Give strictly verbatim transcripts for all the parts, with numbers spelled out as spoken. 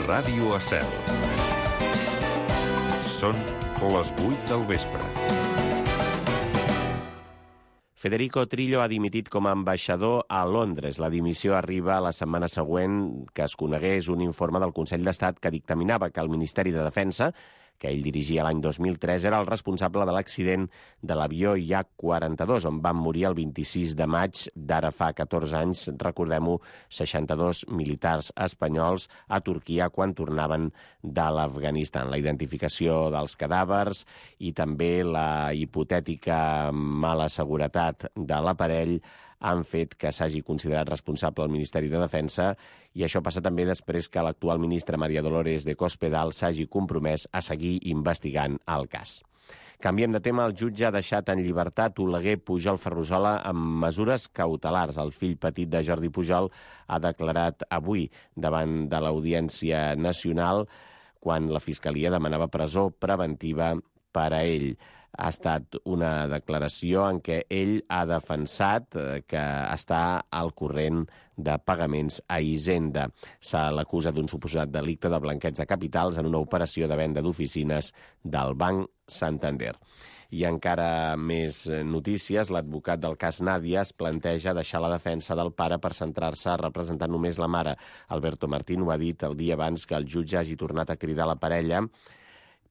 Ràdio Estel. Són les vuit del vespre. Federico Trillo ha dimitit com a ambaixador a Londres. La dimissió arriba la setmana següent que es conegués un informe del Consell d'Estat que dictaminava que el Ministeri de Defensa, que ell dirigia l'any dos mil tres, era el responsable de l'accident de l'avió I A quaranta-dos, on van morir el vint-i-sis de maig d'ara fa catorze anys, recordem-ho, seixanta-dos militars espanyols a Turquia quan tornaven de l'Afganistan. La identificació dels cadàvers i també la hipotètica mala seguretat de l'aparell han fet que s'hagi considerat responsable el Ministeri de Defensa, i això passa també després que l'actual ministra María Dolores de Cospedal s'hagi compromès a seguir investigant el cas. Canviem de tema. El jutge ha deixat en llibertat Oleguer Pujol Ferrusola amb mesures cautelars. El fill petit de Jordi Pujol ha declarat avui davant de l'Audiència Nacional quan la Fiscalia demanava presó preventiva per a ell. Ha estat una declaració en què ell ha defensat que està al corrent de pagaments a Hisenda. Se l'acusa d'un suposat delicte de blanqueig de capitals en una operació de venda d'oficines del Banc Santander. I encara més notícies. L'advocat del cas Nàdia es planteja deixar la defensa del pare per centrar-se a representar només la mare. Alberto Martín ho ha dit el dia abans que el jutge hagi tornat a cridar la parella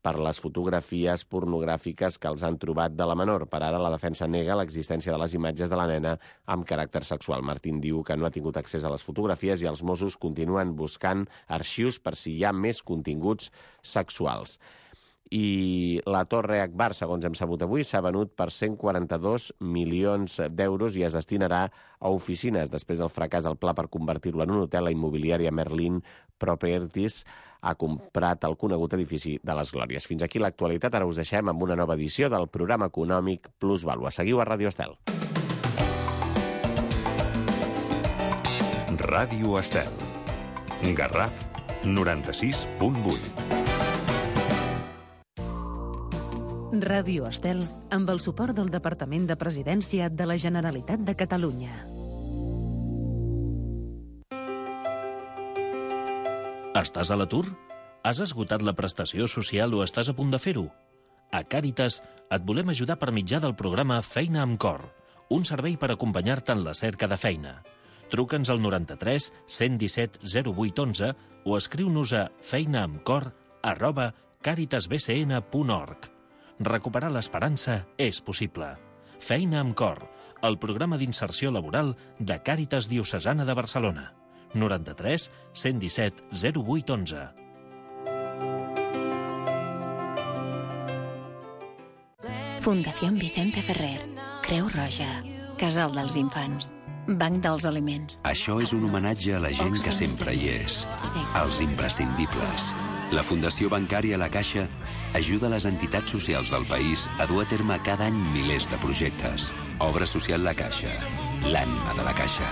per les fotografies pornogràfiques que els han trobat de la menor. Per ara, la defensa nega l'existència de les imatges de la nena amb caràcter sexual. Martín diu que no ha tingut accés a les fotografies i els Mossos continuen buscant arxius per si hi ha més continguts sexuals. I la Torre Akbar, segons hem sabut avui, s'ha venut per cent quaranta-dos milions d'euros i es destinarà a oficines. Després del fracàs del pla per convertir-lo en un hotel, la immobiliària Merlin Properties ha comprat el conegut edifici de les Glòries. Fins aquí l'actualitat. Ara us deixem amb una nova edició del programa econòmic Plus Vàlua. Seguiu a Ràdio Estel. Ràdio Estel. Garraf noranta-sis punt vuit. Ràdio Estel, amb el suport del Departament de Presidència de la Generalitat de Catalunya. Estàs a l'atur? Has esgotat la prestació social o estàs a punt de fer-ho? A Càritas et volem ajudar per mitjà del programa Feina amb Cor, un servei per acompanyar-te en la cerca de feina. Truca'ns al noranta-tres cent disset zero vuit onze o escriu-nos a feinaamcor arroba caritasbcn punt org. Recuperar l'esperança és possible. Feina amb Cor, el programa d'inserció laboral de Càritas Diocesana de Barcelona. noranta-tres cent disset zero vuit onze. Fundació Vicente Ferrer, Creu Roja, Casal dels Infants, Banc dels Aliments. Això és un homenatge a la gent que sempre hi és, als imprescindibles. La Fundació Bancària La Caixa ajuda les entitats socials del país a dur a terme cada any milers de projectes. Obra social La Caixa, l'ànima de la Caixa.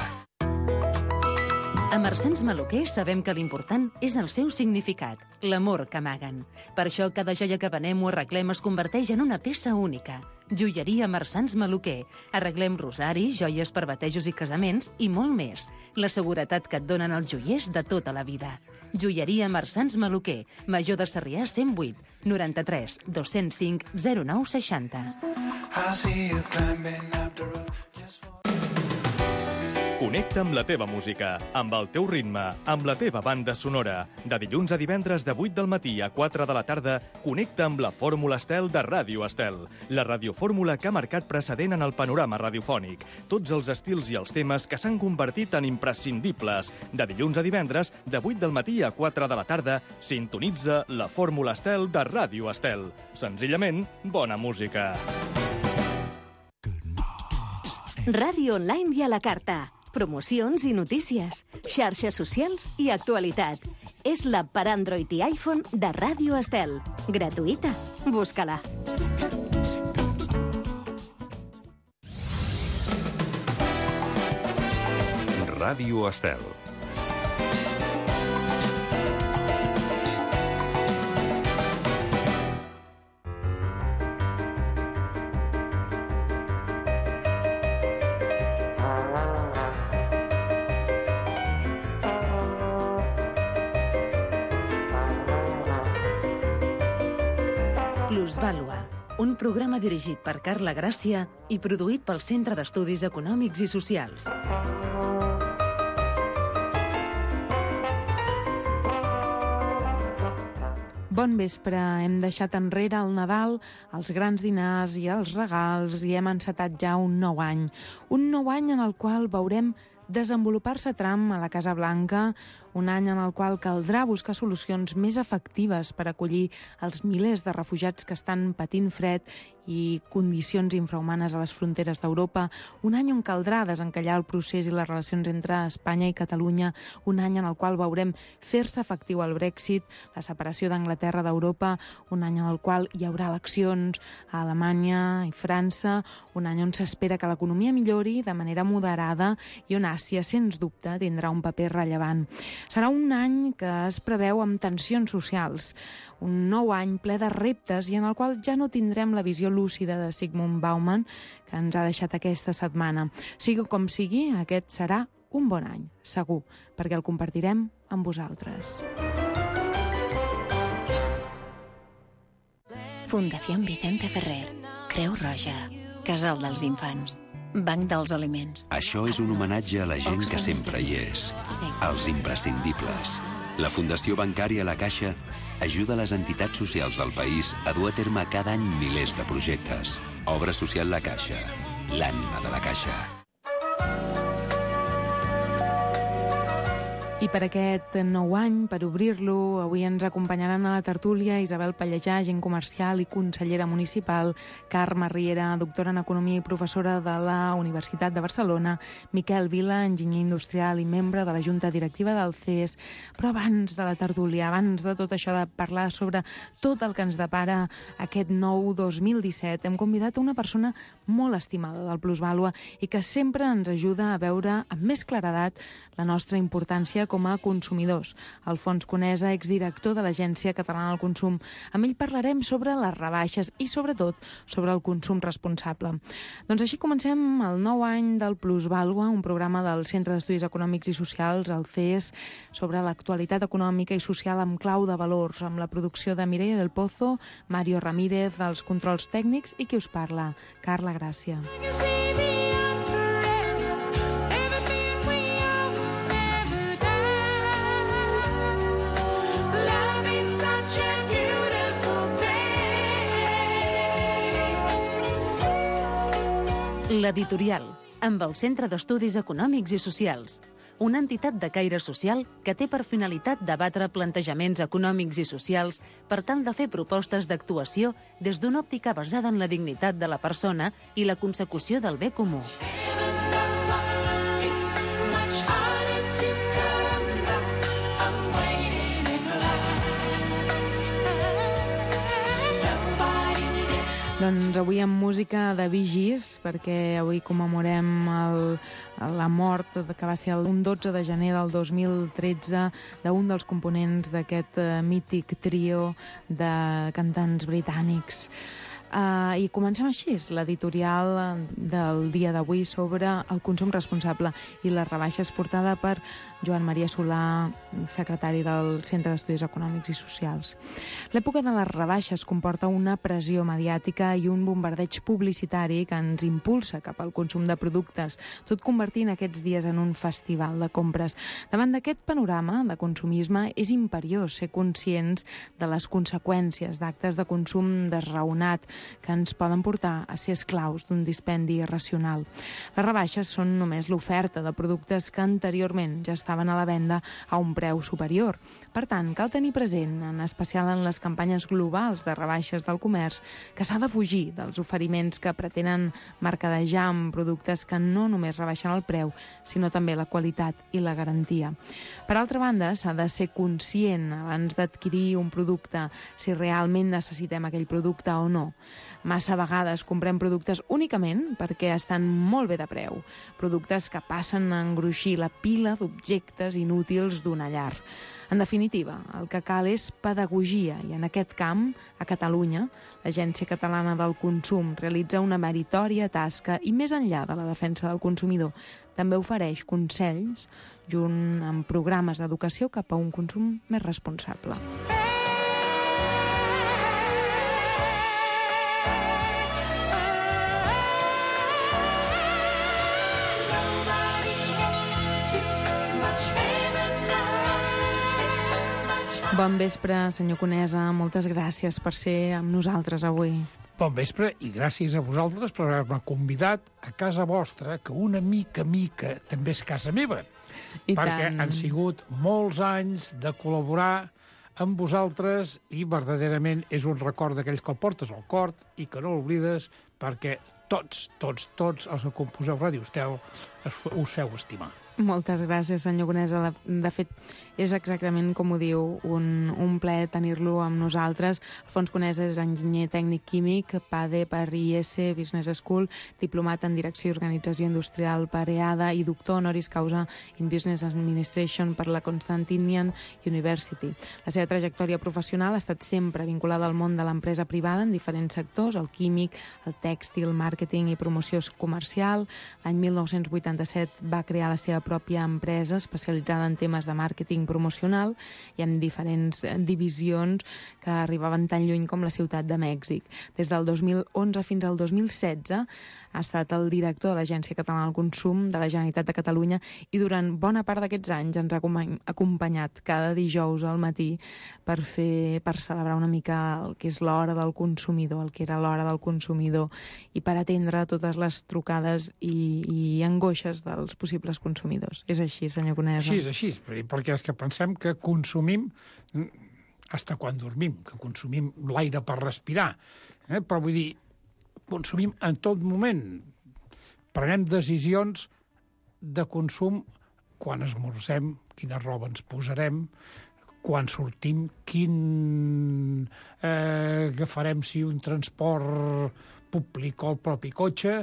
A Marsans Maluquer sabem que l'important és el seu significat, l'amor que amaguen. Per això cada joia que venem o arreglem es converteix en una peça única. Joieria Marsans Maluquer. Arreglem rosaris, joies per batejos i casaments i molt més. La seguretat que et donen els joiers de tota la vida. Joieria Marsans Maluquer, Major de Sarrià cent vuit, noranta-tres dos cents cinc zero nou seixanta. Connecta amb la teva música, amb el teu ritme, amb la teva banda sonora. De dilluns a divendres de vuit del matí a quatre de la tarda, connecta amb la Fórmula Estel de Ràdio Estel. La radiofórmula que ha marcat precedent en el panorama radiofònic. Tots els estils i els temes que s'han convertit en imprescindibles. De dilluns a divendres, de vuit del matí a quatre de la tarda, sintonitza la Fórmula Estel de Ràdio Estel. Senzillament, bona música. Ràdio online i a la carta. Promocions i notícies, xarxes socials i actualitat. És l'app per Android i iPhone de Ràdio Estel. Gratuïta. Busca-la. Ràdio Estel. Plusvàlua, un programa dirigit per Carla Gràcia i produït pel Centre d'Estudis Econòmics i Socials. Bon vespre. Hem deixat enrere el Nadal, els grans dinars i els regals i hem encetat ja un nou any. Un nou any en el qual veurem desenvolupar-se Trump a la Casa Blanca, un any en el qual caldrà buscar solucions més efectives per acollir els milers de refugiats que estan patint fred i condicions infrahumanes a les fronteres d'Europa, un any on caldrà desencallar el procés i les relacions entre Espanya i Catalunya, un any en el qual veurem fer-se efectiu el Brexit, la separació d'Anglaterra d'Europa, un any en el qual hi haurà eleccions a Alemanya i França, un any on s'espera que l'economia millori de manera moderada i on Àsia, sens dubte, tindrà un paper rellevant. Serà un any que es preveu amb tensions socials, un nou any ple de reptes i en el qual ja no tindrem la visió lúcida de Zygmunt Bauman que ens ha deixat aquesta setmana. Sigui com sigui, aquest serà un bon any, segur, perquè el compartirem amb vosaltres. Fundació Vicente Ferrer, Creu Roja, Casal dels Infants, Banc dels Aliments. Això és un homenatge a la gent que sempre hi és, als imprescindibles. La Fundació Bancària La Caixa ajuda les entitats socials del país a dur a terme cada any milers de projectes. Obra social La Caixa, l'ànima de la Caixa. I per aquest nou any, per obrir-lo, avui ens acompanyaran a la tertúlia Isabel Pallejà, agent comercial i consellera municipal, Carme Riera, doctora en Economia i professora de la Universitat de Barcelona, Miquel Vila, enginyer industrial i membre de la Junta Directiva del C E S. Però abans de la tertúlia, abans de tot això de parlar sobre tot el que ens depara aquest nou dos mil disset, hem convidat una persona molt estimada del Plusvàlua i que sempre ens ajuda a veure amb més claredat la nostra importància com a consumidors. Alfons Conesa, exdirector de l'Agència Catalana del Consum. Amb ell parlarem sobre les rebaixes i, sobretot, sobre el consum responsable. Doncs així comencem el nou any del Plusvàlua, un programa del Centre d'Estudis Econòmics i Socials, el C E S, sobre l'actualitat econòmica i social amb clau de valors, amb la producció de Mireia del Pozo, Mario Ramírez, els controls tècnics i qui us parla, Carla Gràcia. L'Editorial, amb el Centre d'Estudis Econòmics i Socials, una entitat de caire social que té per finalitat debatre plantejaments econòmics i socials per tal de fer propostes d'actuació des d'una òptica basada en la dignitat de la persona i la consecució del bé comú. Doncs avui amb música de Bee Gees, perquè avui commemorem el, la mort que va ser el dotze de gener del dos mil tretze d'un dels components d'aquest uh, mític trio de cantants britànics. Uh, I comencem així, l'editorial del dia d'avui sobre el consum responsable i les rebaixes, portada per Joan Maria Solà, secretari del Centre d'Estudis Econòmics i Socials. L'època de les rebaixes comporta una pressió mediàtica i un bombardeig publicitari que ens impulsa cap al consum de productes, tot convertint aquests dies en un festival de compres. Davant d'aquest panorama de consumisme és imperiós ser conscients de les conseqüències d'actes de consum desraonat que ens poden portar a ser esclaus d'un dispendi irracional. Les rebaixes són només l'oferta de productes que anteriorment ja estaven a la venda a un preu superior. Per tant, cal tenir present, en especial en les campanyes globals de rebaixes del comerç, que s'ha de fugir dels oferiments que pretenen mercadejar amb productes que no només rebaixen el preu, sinó també la qualitat i la garantia. Per altra banda, s'ha de ser conscient abans d'adquirir un producte si realment necessitem aquell producte o no. Massa vegades comprem productes únicament perquè estan molt bé de preu, productes que passen a engruixir la pila d'objectes inútils d'una llar. En definitiva, el que cal és pedagogia i en aquest camp, a Catalunya, l'Agència Catalana del Consum realitza una meritòria tasca i més enllà de la defensa del consumidor, també ofereix consells junt amb programes d'educació cap a un consum més responsable. Bon vespre, senyor Conesa. Moltes gràcies per ser amb nosaltres avui. Bon vespre i gràcies a vosaltres per haver-me convidat a casa vostra, que una mica mica també és casa meva. I perquè tant. han sigut molts anys de col·laborar amb vosaltres i verdaderament és un record d'aquells que el portes al cor i que no l'oblides perquè tots, tots, tots els que composeu Ràdio Estel us feu estimar. Moltes gràcies, senyor Conesa. De fet, és exactament com ho diu, un, un plaer tenir-lo amb nosaltres. Alfons Conesa és enginyer tècnic químic, P A D E per I S Business School, diplomat en Direcció i Organització Industrial per E A D A i doctor honoris causa in Business Administration per la Constantinian University. La seva trajectòria professional ha estat sempre vinculada al món de l'empresa privada en diferents sectors, el químic, el tèxtil, màrqueting i promoció comercial. L'any mil nou-cents vuitanta-set va crear la seva pròpia empresa especialitzada en temes de màrqueting promocional i amb diferents divisions que arribaven tan lluny com la ciutat de Mèxic. Des del dos mil onze fins al dos mil setze ha estat el director de l'Agència Catalana del Consum de la Generalitat de Catalunya i durant bona part d'aquests anys ens ha acompanyat cada dijous al matí per fer per celebrar una mica el que és l'hora del consumidor, el que era l'hora del consumidor i per atendre totes les trucades i, i angoixes dels possibles consumidors. És així, senyor Conesa? Així és, així, perquè és que pensem que consumim hasta quan dormim, que consumim l'aire per respirar, eh? Però vull dir, consumim en tot moment. Prenem decisions de consum quan esmorzem, quina roba ens posarem, quan sortim, quin eh, agafarem, si un transport públic o el propi cotxe.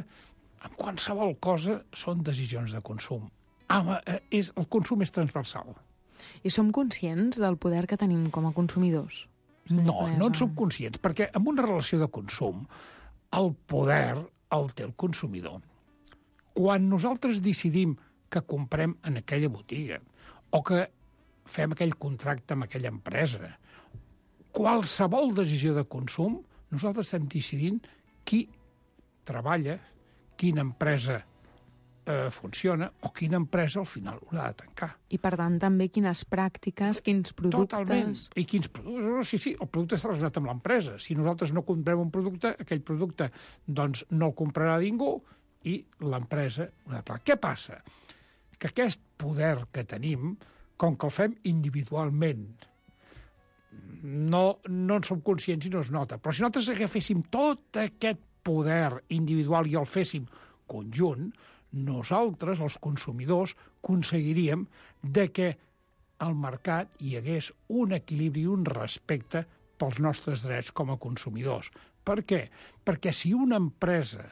En qualsevol cosa són decisions de consum. Ah, és, el consum és transversal. I som conscients del poder que tenim com a consumidors? No, no en som conscients, perquè en una relació de consum el poder el té el consumidor. Quan nosaltres decidim que comprem en aquella botiga o que fem aquell contracte amb aquella empresa, qualsevol decisió de consum, nosaltres estem decidint qui treballa, quina empresa eh, funciona o quina empresa al final haurà de tancar. I, per tant, també quines pràctiques, quins productes... Totalment. I quins productes... Sí, sí, el producte està relacionat amb l'empresa. Si nosaltres no comprem un producte, aquell producte doncs, no el comprarà ningú i l'empresa haurà de pagar. Què passa? Que aquest poder que tenim, com que el fem individualment, no, no en som conscients i no es nota. Però si nosaltres agaféssim tot aquest poder individual i el féssim conjunt, nosaltres, els consumidors, aconseguiríem de que al mercat hi hagués un equilibri i un respecte pels nostres drets com a consumidors. Per què? Perquè si una empresa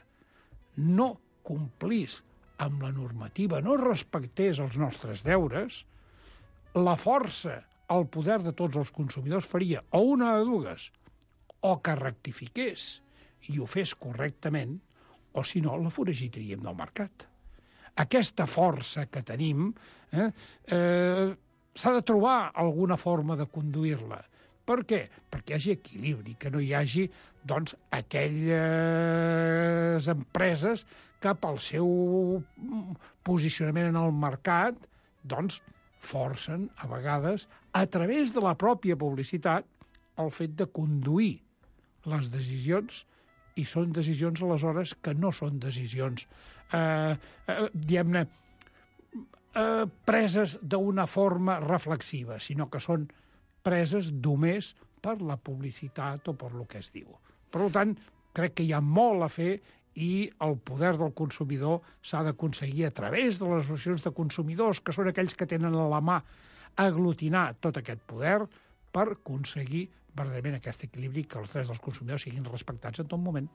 no complís amb la normativa, no respectés els nostres deures, la força, el poder de tots els consumidors faria o una de dues, o que rectifiqués i ho fes correctament, o si no, la foragitaríem del mercat. Aquesta força que tenim eh, eh, s'ha de trobar alguna forma de conduir-la. Per què? Perquè hi hagi equilibri, que no hi hagi doncs, aquelles empreses que pel seu posicionament en el mercat doncs, forcen, a vegades, a través de la pròpia publicitat, el fet de conduir les decisions i són decisions, aleshores, que no són decisions, eh, eh, diguem-ne, eh, preses d'una forma reflexiva, sinó que són preses només per la publicitat o per lo que es diu. Per tant, crec que hi ha molt a fer i el poder del consumidor s'ha d'aconseguir a través de les associacions de consumidors, que són aquells que tenen a la mà aglutinar tot aquest poder per aconseguir verdaderament aquest equilibri, que els drets dels consumidors siguin respectats en tot moment.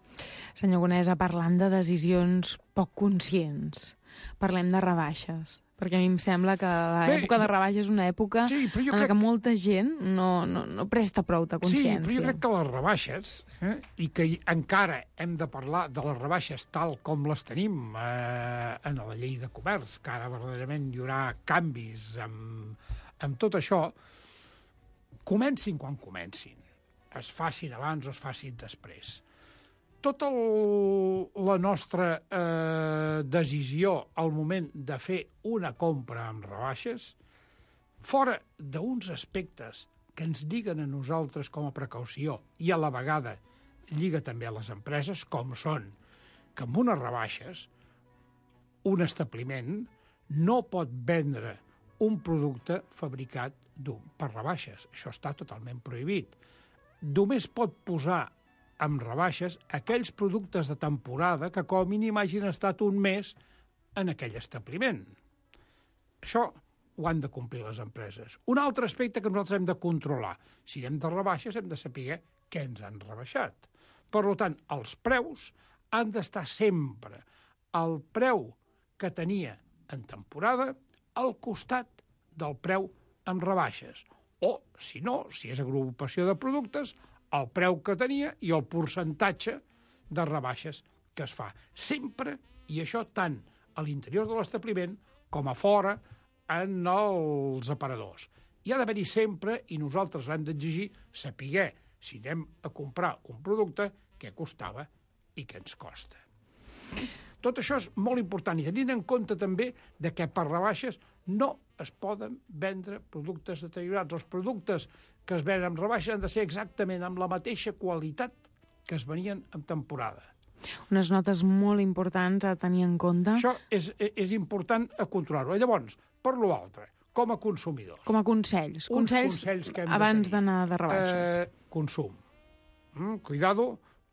Senyor Conesa, parlant de decisions poc conscients, parlem de rebaixes, perquè a mi em sembla que l'època de rebaixes és una època sí, en crec... què molta gent no, no, no presta prou de consciència. Sí, però jo crec que les rebaixes, eh, i que encara hem de parlar de les rebaixes tal com les tenim eh, en la llei de comerç, que ara verdaderament hi haurà canvis amb, amb tot això, comencin quan comencin, es facin abans o es facin després. Tota la nostra eh, decisió al moment de fer una compra amb rebaixes, fora d'uns aspectes que ens lliguen a nosaltres com a precaució i a la vegada lliga també a les empreses, com són que amb unes rebaixes un establiment no pot vendre un producte fabricat per rebaixes. Això està totalment prohibit. Només pot posar amb rebaixes aquells productes de temporada que com a mínim hagin estat un mes en aquell establiment. Això ho han de complir les empreses. Un altre aspecte que nosaltres hem de controlar. Si anem de rebaixes hem de saber què ens han rebaixat. Per tant, els preus han d'estar sempre al preu que tenia en temporada al costat del preu amb rebaixes. O, si no, si és agrupació de productes, el preu que tenia i el percentatge de rebaixes que es fa. Sempre, i això tant a l'interior de l'establiment com a fora, en els aparadors. Hi ha d'haver-hi sempre, i nosaltres l'hem d'exigir, saber si anem a comprar un producte què costava i què ens costa. Tot això és molt important, i tenint en compte també de que per rebaixes no es poden vendre productes deteriorats. Els productes que es venen amb rebaixes han de ser exactament amb la mateixa qualitat que es venien en temporada. Unes notes molt importants a tenir en compte. Això és, és important a controlar-ho. Llavors, per l'altre, com a consumidors. Com a consells. Consells, consells que abans d'anar de rebaixes. Eh, consum. Mm, cuidado,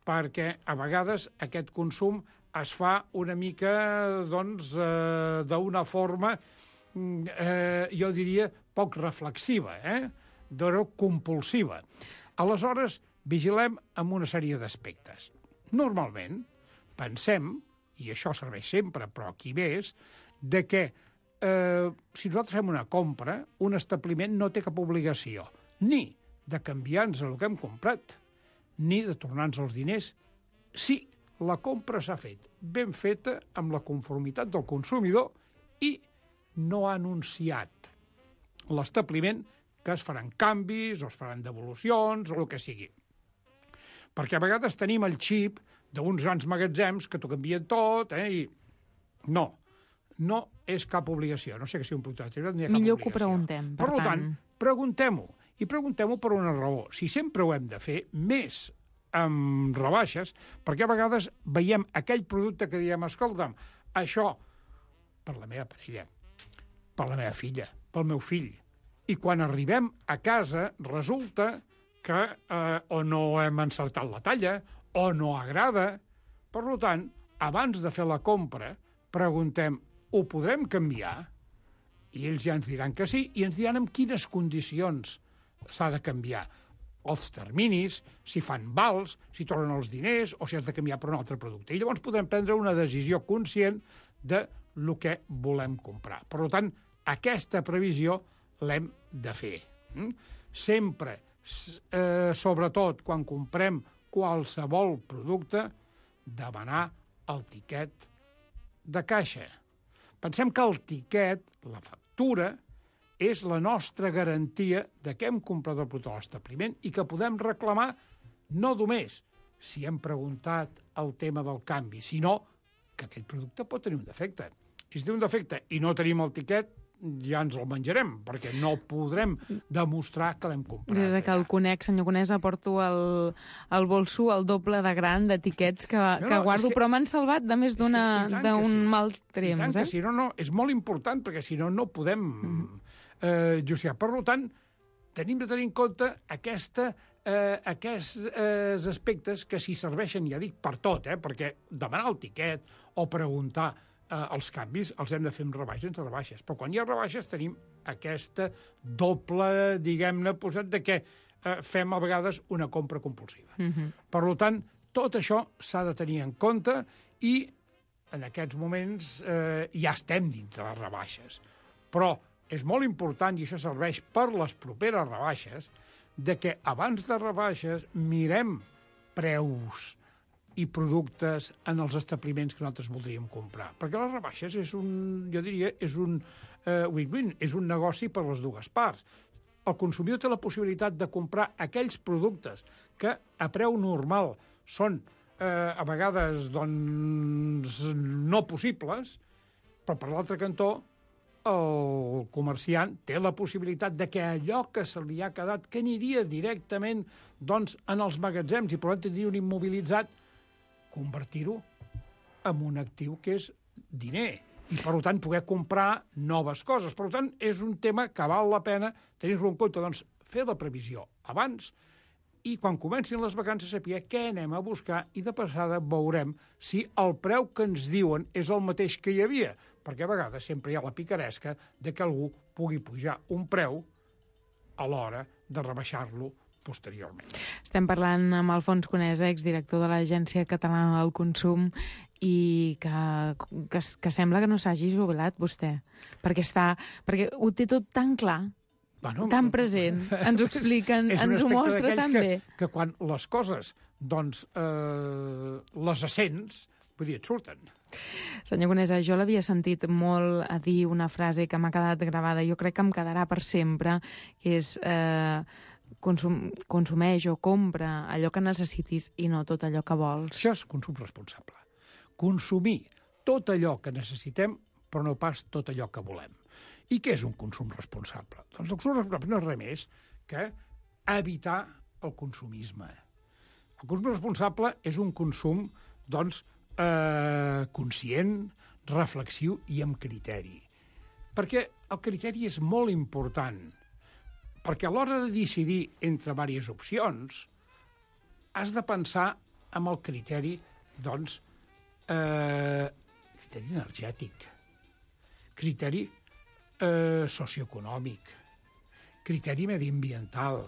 perquè a vegades aquest consum es fa una mica, doncs, eh, d'una forma, eh, jo diria, poc reflexiva, eh? D'una compulsiva. Aleshores, vigilem amb una sèrie d'aspectes. Normalment, pensem, i això serveix sempre, però aquí més, de que eh, si nosaltres fem una compra, un establiment no té cap obligació ni de canviar-nos el que hem comprat, ni de tornar-nos els diners, si la compra s'ha fet ben feta amb la conformitat del consumidor i no ha anunciat l'establiment que es faran canvis o es faran devolucions o el que sigui. Perquè a vegades tenim el xip d'uns grans magatzems que t'ho canvien tot, eh, i no, no és cap obligació. No sé que sigui un producte deteriorat, no hi ha cap Millor obligació. que ho preguntem, per, per tant. tant, preguntem-ho. I preguntem-ho per una raó. Si sempre ho hem de fer, més amb rebaixes, perquè a vegades veiem aquell producte que diem, escolta'm, això per la meva parella, per la meva filla, pel meu fill. I quan arribem a casa resulta que eh, o no hem encertat la talla, o no agrada. Per tant, abans de fer la compra, preguntem, ho podrem canviar? I ells ja ens diran que sí, i ens diran en quines condicions s'ha de canviar. Els terminis, si fan vals, si tornen els diners, o si has de canviar per un altre producte. I llavors podem prendre una decisió conscient de lo que volem comprar. Per tant, aquesta previsió l'hem de fer. Sempre, eh, sobretot quan comprem qualsevol producte, demanar el tiquet de caixa. Pensem que el tiquet, la factura, és la nostra garantia de que hem comprat el producte a l'establiment i que podem reclamar no només si hem preguntat el tema del canvi, sinó que aquest producte pot tenir un defecte. I si té un defecte i no tenim el tiquet, ja ens el menjarem, perquè no podrem demostrar que l'hem comprat. Des que el conec, senyor Conesa, porto el, el bolso el doble de gran d'etiquets que, no, no, que guardo, que, però m'han salvat de més d'un sí. mal temps. I tant eh? que si no, no, és molt important, perquè si no, no podem mm. eh, justificar. Per tant, tenim de tenir en compte aquesta, eh, aquests eh, aspectes que si serveixen, ja dic, per tot, eh, perquè demanar el tiquet o preguntar eh, els canvis els hem de fer amb rebaixes, sense rebaixes. Però quan hi ha rebaixes tenim aquesta doble, diguem-ne, posat de que eh, fem a vegades una compra compulsiva. Mm-hmm. Per tant, tot això s'ha de tenir en compte i en aquests moments eh, ja estem dins de les rebaixes. Però és molt important, i això serveix per les properes rebaixes, de que abans de rebaixes mirem preus i productes en els establiments que nosaltres voldríem comprar. Perquè les rebaixes és un, jo diria, és un eh, win-win, és un negoci per les dues parts. El consumidor té la possibilitat de comprar aquells productes que a preu normal són eh, a vegades doncs, no possibles, però per l'altre cantó el comerciant té la possibilitat de que allò que se li ha quedat, que aniria directament doncs, en els magatzems i per tant tindria un immobilitzat, convertir-ho en un actiu que és diner i, per tant, poder comprar noves coses. Per tant, és un tema que val la pena tenir-lo en compte. Doncs, fer la previsió abans i, quan comencin les vacances, saber què anem a buscar i, de passada, veurem si el preu que ens diuen és el mateix que hi havia, perquè a vegades sempre hi ha la picaresca de que algú pugui pujar un preu a l'hora de rebaixar-lo posteriorment. Estem parlant amb Alfons Conesa, exdirector de l'Agència Catalana del Consum, i que, que, que sembla que no s'hagi jubilat, vostè, perquè, està, perquè ho té tot tan clar, bueno, tan present, ens ho expliquen, ens ho mostra tan bé. Que, que quan les coses, doncs, eh, les assents, vull dir, et surten. Senyor Conesa, jo l'havia sentit molt a dir una frase que m'ha quedat gravada, jo crec que em quedarà per sempre, que és eh, consum, consumeix o compra allò que necessitis i no tot allò que vols. Això és consum responsable. Consumir tot allò que necessitem, però no pas tot allò que volem. I què és un consum responsable? Doncs el consum responsable no és res més que evitar el consumisme. El consum responsable és un consum, doncs, eh, conscient, reflexiu i amb criteri. Perquè el criteri és molt important. Perquè a l'hora de decidir entre diverses opcions, has de pensar en el criteri, doncs, eh, criteri energètic, criteri eh, socioeconòmic, criteri mediambiental,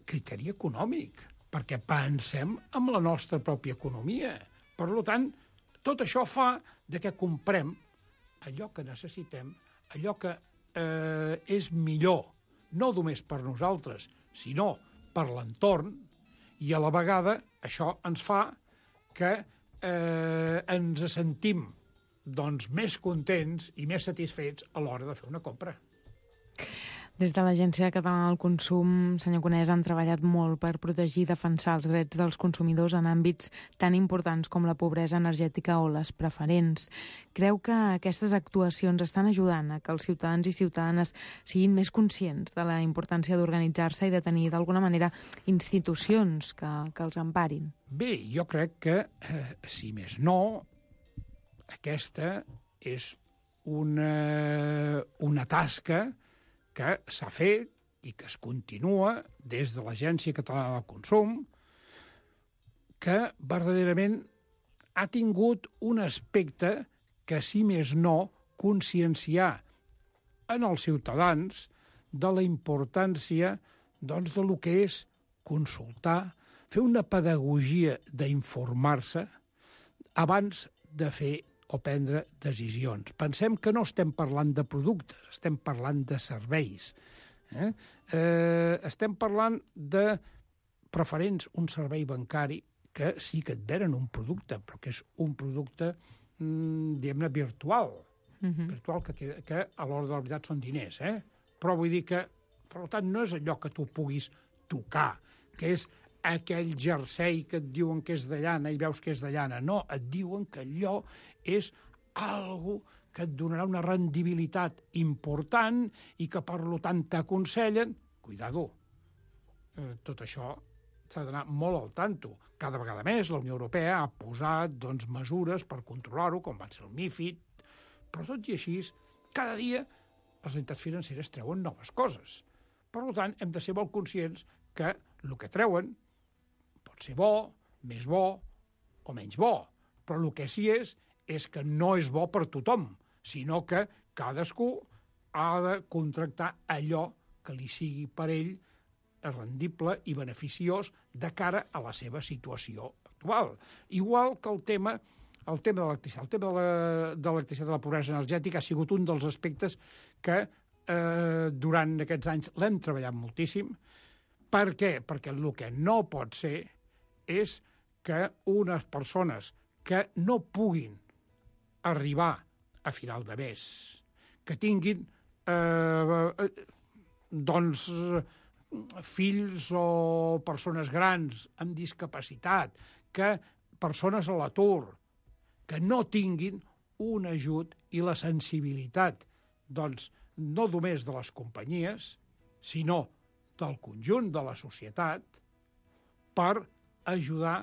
criteri econòmic, perquè pensem en la nostra pròpia economia. Per tant, tot això fa de que comprem allò que necessitem, allò que eh, és millor, no només per nosaltres, sinó per l'entorn, i a la vegada això ens fa que eh, ens sentim doncs, més contents i més satisfets a l'hora de fer una compra. Des de l'Agència Catalana del Consum, senyor Conesa, han treballat molt per protegir i defensar els drets dels consumidors en àmbits tan importants com la pobresa energètica o les preferents. Creu que aquestes actuacions estan ajudant a que els ciutadans i ciutadanes siguin més conscients de la importància d'organitzar-se i de tenir, d'alguna manera, institucions que, que els emparin? Bé, jo crec que, eh, si més no, aquesta és una, una tasca que s'ha fet i que es continua des de l'Agència Catalana del Consum, que verdaderament ha tingut un aspecte que, si més no, conscienciar en els ciutadans de la importància, doncs, de lo que és consultar, fer una pedagogia d'informar-se abans de fer o prendre decisions. Pensem que no estem parlant de productes, estem parlant de serveis. Eh? Eh, estem parlant de preferents, un servei bancari que sí que et venen un producte, però que és un producte, mm, diguem-ne, virtual. Uh-huh. Virtual que, que, que a l'hora de la veritat són diners. Eh? Però vull dir que, per tant, no és allò que tu puguis tocar, que és aquell jersei que et diuen que és de llana i veus que és de llana. No, et diuen que allò és algo que et donarà una rendibilitat important i que, per tant, t'aconsellen. Cuidado, eh, tot això s'ha d'anar molt al tanto. Cada vegada més la Unió Europea ha posat, doncs, mesures per controlar-ho, com van ser el MiFID, però tot i així, cada dia les entitats financeres treuen noves coses. Per tant, hem de ser molt conscients que el que treuen pot ser bo, més bo o menys bo, però el que sí és és que no és bo per tothom, sinó que cadascú ha de contractar allò que li sigui per ell rendible i beneficiós de cara a la seva situació actual. Igual que el tema, el tema de l'electricitat. El tema de l'electricitat de la pobresa energètica ha sigut un dels aspectes que eh, durant aquests anys l'hem treballat moltíssim. Per què? Perquè el que no pot ser és que unes persones que no puguin arribar a final de mes, que tinguin eh, doncs fills o persones grans amb discapacitat, que persones a l'atur, que no tinguin un ajut i la sensibilitat doncs, no només de les companyies, sinó del conjunt de la societat, per ajudar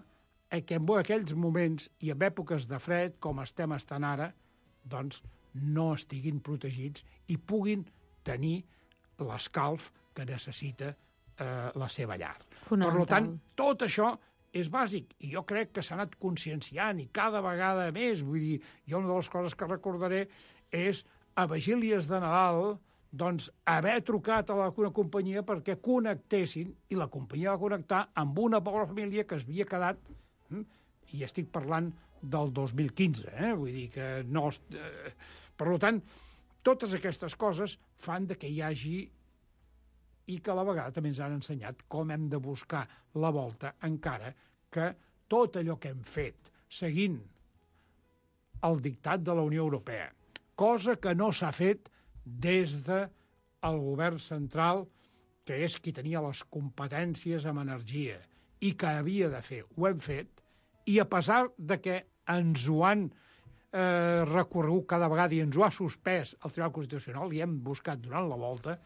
a que en aquells moments i en èpoques de fred, com estem estant ara, doncs no estiguin protegits i puguin tenir l'escalf que necessita eh, la seva llar. Per tant, tot això és bàsic, i jo crec que s'ha anat conscienciant, i cada vegada més, vull dir, jo una de les coses que recordaré és a vigílies de Nadal, doncs, haver trucat a la, una companyia perquè connectessin, i la companyia va connectar amb una pobra família que es havia quedat, hm, i estic parlant del dos mil quinze, eh? Vull dir que no... Eh, per tant, totes aquestes coses fan de que hi hagi, i que a la vegada també ens han ensenyat com hem de buscar la volta, encara que tot allò que hem fet seguint el dictat de la Unió Europea, cosa que no s'ha fet des del govern central, que és qui tenia les competències en energia i que havia de fer, ho hem fet, i a pesar de que ens ho han eh, recorregut cada vegada i ens ho ha suspès el Tribunal Constitucional, i hem buscat donant la volta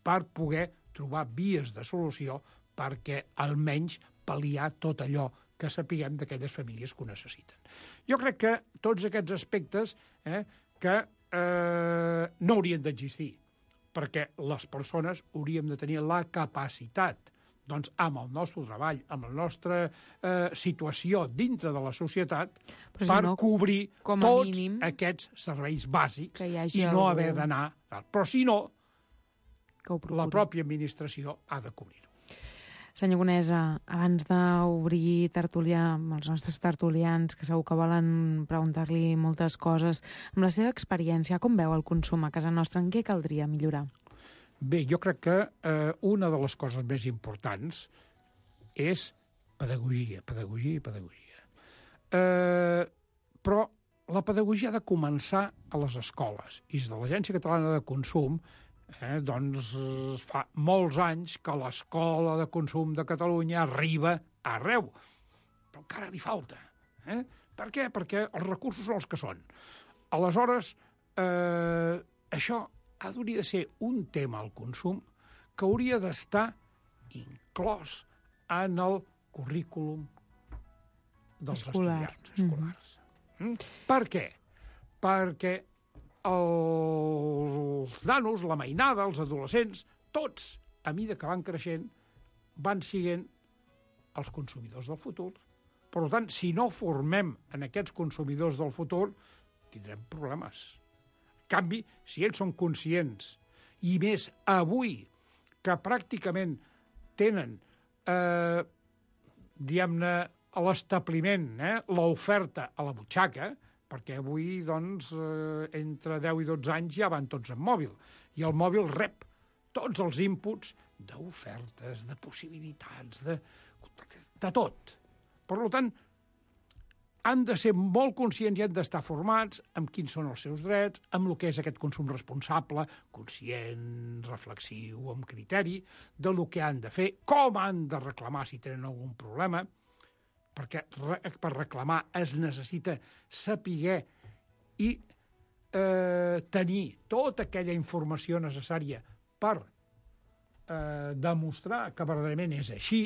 per poder trobar vies de solució perquè almenys pal·liar tot allò que sapiguem d'aquelles famílies que ho necessiten. Jo crec que tots aquests aspectes eh, que eh, no haurien d'existir, perquè les persones hauríem de tenir la capacitat, doncs, amb el nostre treball, amb la nostra eh, situació dintre de la societat, si per no, cobrir tots mínim, aquests serveis bàsics i no algú... haver d'anar... Però si no, la pròpia administració ha de cobrir-ho. Senyor Conesa, abans d'obrir tertúlia amb els nostres tertulians, que segur que volen preguntar-li moltes coses, amb la seva experiència, com veu el consum a casa nostra? En què caldria millorar? Bé, jo crec que eh, una de les coses més importants és pedagogia, pedagogia i pedagogia. Eh, però la pedagogia ha de començar a les escoles. I des de l'Agència Catalana de Consum Eh, doncs fa molts anys que l'escola de consum de Catalunya arriba arreu, però encara li falta. Eh? Per què? Perquè els recursos són els que són. Aleshores, eh, això hauria de ser un tema al consum que hauria d'estar inclòs en el currículum dels Escolar. estudiants escolars. Mm-hmm. Mm? Per què? Perquè els nanos, la mainada, els adolescents, tots, a mida que van creixent, van siguent els consumidors del futur. Per tant, si no formem en aquests consumidors del futur, tindrem problemes. En canvi, si ells són conscients, i més avui, que pràcticament tenen, eh, diguem-ne, a l'establiment, eh, l'oferta a la butxaca, perquè avui, doncs, eh, entre deu i dotze anys ja van tots en mòbil. I el mòbil rep tots els inputs d'ofertes, de possibilitats, de, de tot. Per tant, han de ser molt conscients i han d'estar formats amb quins són els seus drets, amb el que és aquest consum responsable, conscient, reflexiu, amb criteri, de lo que han de fer, com han de reclamar si tenen algun problema, perquè per reclamar es necessita saber i eh, tenir tota aquella informació necessària per eh, demostrar que verdaderament és així,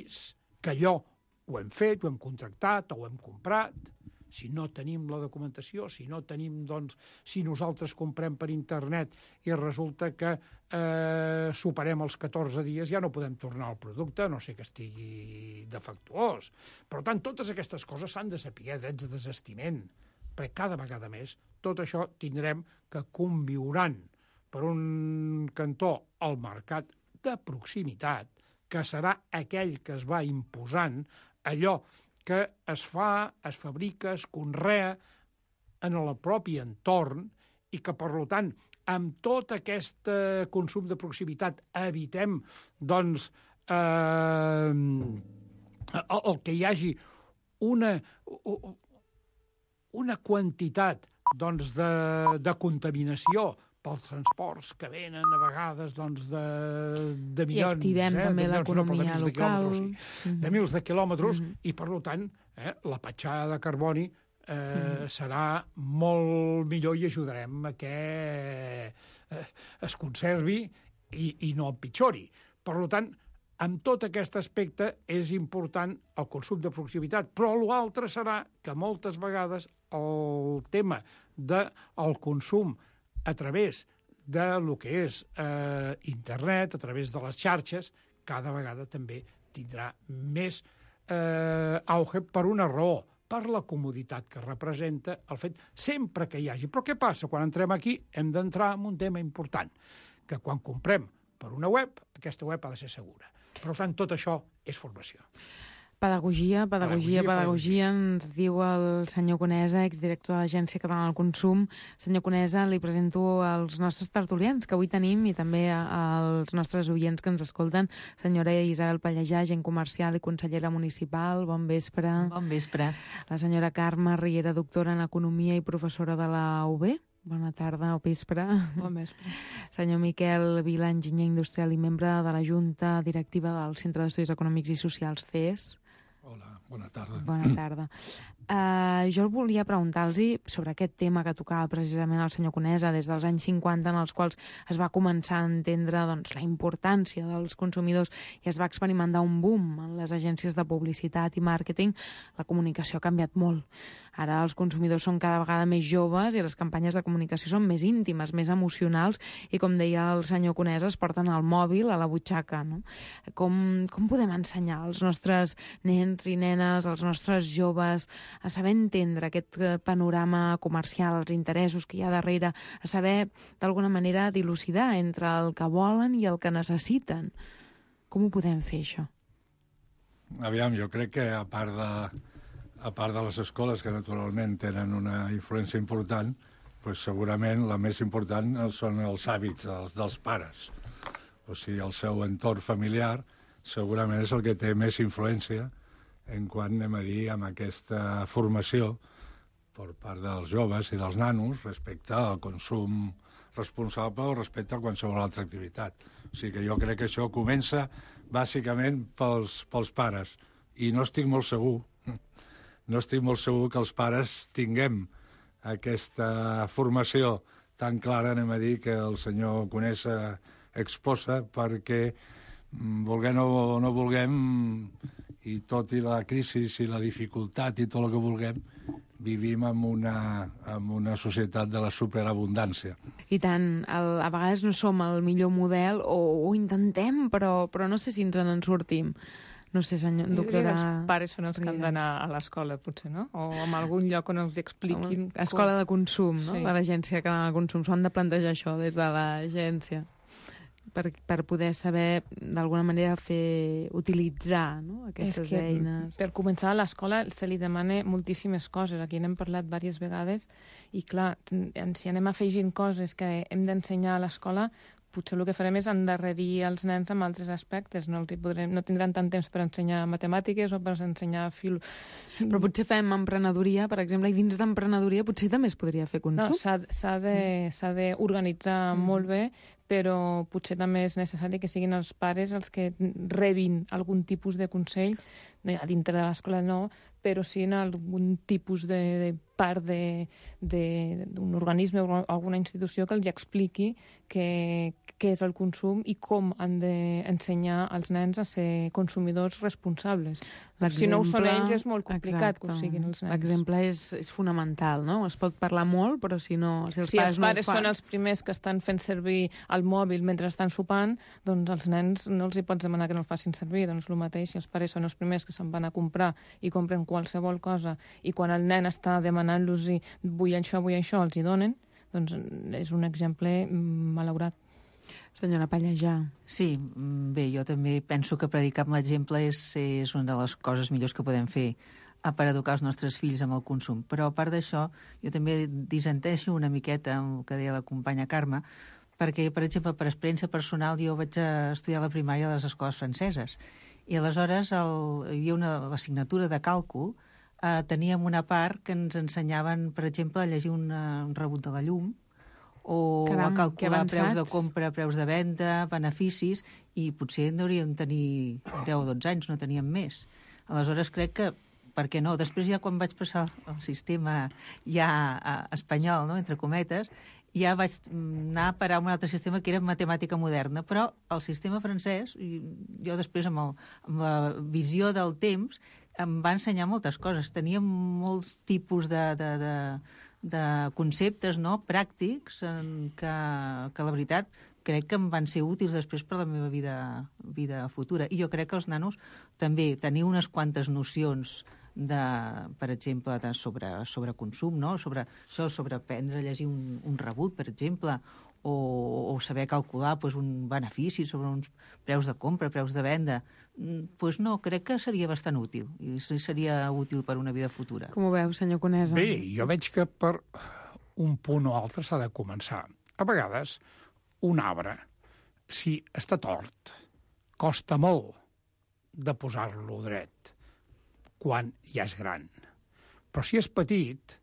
que allò ho hem fet, ho hem contractat o ho hem comprat. Si no tenim la documentació, si no tenim, doncs, si nosaltres comprem per internet i resulta que eh, superem els catorze dies, ja no podem tornar al producte, a no sé que estigui defectuós. Per tant, totes aquestes coses s'han de saber, drets de desestiment, perquè cada vegada més tot això tindrem que conviuran per un cantó al mercat de proximitat, que serà aquell que es va imposant, allò que es fa, es fabrica, es conrea en el propi entorn i que, per tant, amb tot aquest eh, consum de proximitat evitem, doncs, eh, el, el que hi hagi una, una quantitat, doncs, de, de contaminació pels transports que venen a vegades, doncs, de, de milions... I activem eh, també milions, l'economia no, de local. Sí, mm-hmm. De mils de quilòmetres, mm-hmm. I, per tant, eh, la petjada de carboni eh, mm. serà molt millor i ajudarem a que eh, es conservi i, i no empitjori. Per tant, en tot aquest aspecte és important el consum de proximitat, però l'altre serà que moltes vegades el tema del consum a través de lo que és eh, internet, a través de les xarxes, cada vegada també tindrà més eh, auge per una raó, per la comoditat que representa el fet sempre que hi hagi. Però què passa? Quan entrem aquí hem d'entrar en un tema important, que quan comprem per una web, aquesta web ha de ser segura. Per tant, tot això és formació. Pedagogia, pedagogia, pedagogia, pedagogia, ens diu el senyor Conesa, exdirector de l'Agència Catalana del Consum. Senyor Conesa, li presento als nostres tertulians que avui tenim i també als nostres oients que ens escolten. Senyora Isabel Pallejà, agent comercial i consellera municipal, bon vespre. Bon vespre. La senyora Carme Riera, doctora en Economia i professora de la U B. Bona tarda o vespre. Bon vespre. Senyor Miquel Vila, enginyer industrial i membre de la Junta Directiva del Centre d'Estudis Econòmics i Socials, C E S. Hola, bona tarda. Bona tarda. Uh, jo volia preguntar-los sobre aquest tema que tocava precisament el senyor Conesa des dels anys cinquanta, en els quals es va començar a entendre doncs, la importància dels consumidors i es va experimentar un boom en les agències de publicitat i màrqueting. La comunicació ha canviat molt. Ara els consumidors són cada vegada més joves i les campanyes de comunicació són més íntimes, més emocionals i, com deia el senyor Conesa, es porten el mòbil a la butxaca. No? Com, com podem ensenyar als nostres nens i nenes, als nostres joves, a saber entendre aquest panorama comercial, els interessos que hi ha darrere, a saber, d'alguna manera, dilucidar entre el que volen i el que necessiten? Com ho podem fer, això? Aviam, jo crec que a part de, a part de les escoles, que naturalment tenen una influència important, pues segurament la més important són els hàbits dels, dels pares. O sigui, el seu entorn familiar segurament és el que té més influència en quant, anem a dir, amb aquesta formació per part dels joves i dels nanos respecte al consum responsable o respecte a qualsevol altra activitat. O sigui que jo crec que això comença bàsicament pels, pels pares. I no estic molt segur, no estic molt segur que els pares tinguem aquesta formació tan clara, anem a dir, que el senyor Conesa exposa, perquè vulguem o no vulguem, i tot i la crisi i la dificultat i tot el que vulguem, vivim en una, en una societat de la superabundància. I tant, el, a vegades no som el millor model, o ho intentem, però, però no sé si ens en sortim. No sé, senyor, doctora... Els pares són els que han d'anar a l'escola, potser, no? O en algun lloc on els expliquin... Escola de consum, no? Sí. De l'Agència Catalana de Consum. S'ho han de plantejar això des de l'agència. Per, per poder saber, d'alguna manera, fer utilitzar, no? Aquestes és que, eines. Per començar, a l'escola se li demana moltíssimes coses. Aquí n'hem parlat diverses vegades i, clar, si anem afegint coses que hem d'ensenyar a l'escola, potser el que farem és endarrerir els nens amb altres aspectes. No, els hi podrem, no tindran tant temps per ensenyar matemàtiques o per ensenyar fil... Però potser fem emprenedoria, per exemple, i dins d'emprenedoria potser també es podria fer consum. No, s'ha d'organitzar mm. molt bé, però potser també és necessari que siguin els pares els que rebin algun tipus de consell, no, a dintre de l'escola no, però sí en algun tipus de, de part d'un organisme o alguna institució que els expliqui què és el consum i com han d'ensenyar als nens a ser consumidors responsables. Si no ho són ells és molt complicat que ho siguin els nens. L'exemple és, és fonamental, no? Es pot parlar molt, però si no... Si els si pares, els pares no ho fan... són els primers que estan fent servir el mòbil mentre estan sopant, doncs els nens no els hi pots demanar que no el facin servir. Doncs el mateix, si els pares són els primers que se'n van a comprar i compren qualsevol cosa i quan el nen està demanant-los vull això, vull això, els hi donen, doncs és un exemple malaurat. Senyora Pallejà. Sí, bé, jo també penso que predicar amb l'exemple és, és una de les coses millors que podem fer per educar els nostres fills amb el consum. Però a part d'això, jo també dissenteixo una miqueta amb el que deia la companya Carme, perquè, per exemple, per experiència personal, jo vaig estudiar a la primària a les escoles franceses. I aleshores el, hi havia una assignatura de càlcul, eh, teníem una part que ens ensenyaven, per exemple, a llegir una, un rebut de la llum, o Caram, a calcular preus de compra, preus de venda, beneficis, i potser en hauríem tenir deu o dotze anys, no teníem més. Aleshores crec que per què no? Després ja quan vaig passar el sistema ja eh, espanyol, no?, entre cometes, ja vaig anar a parar a un altre sistema que era matemàtica moderna, però el sistema francès, i jo després amb, el, amb la visió del temps, em va ensenyar moltes coses. Tenia molts tipus de, de, de, de conceptes, no?, pràctics en que, que la veritat crec que em van ser útils després per la meva vida, vida futura. I jo crec que els nanos també tenir unes quantes nocions de, per exemple, de sobre, sobre consum, no? Sobre això, sobre aprendre a llegir un, un rebut, per exemple, o, o saber calcular pues, un benefici sobre uns preus de compra, preus de venda. Pues no, crec que seria bastant útil, i seria útil per una vida futura. Com ho veu, senyor Conesa? Bé, jo veig que per un punt o altre s'ha de començar. A vegades, un arbre, si està tort, costa molt de posar-lo dret quan ja és gran. Però si és petit,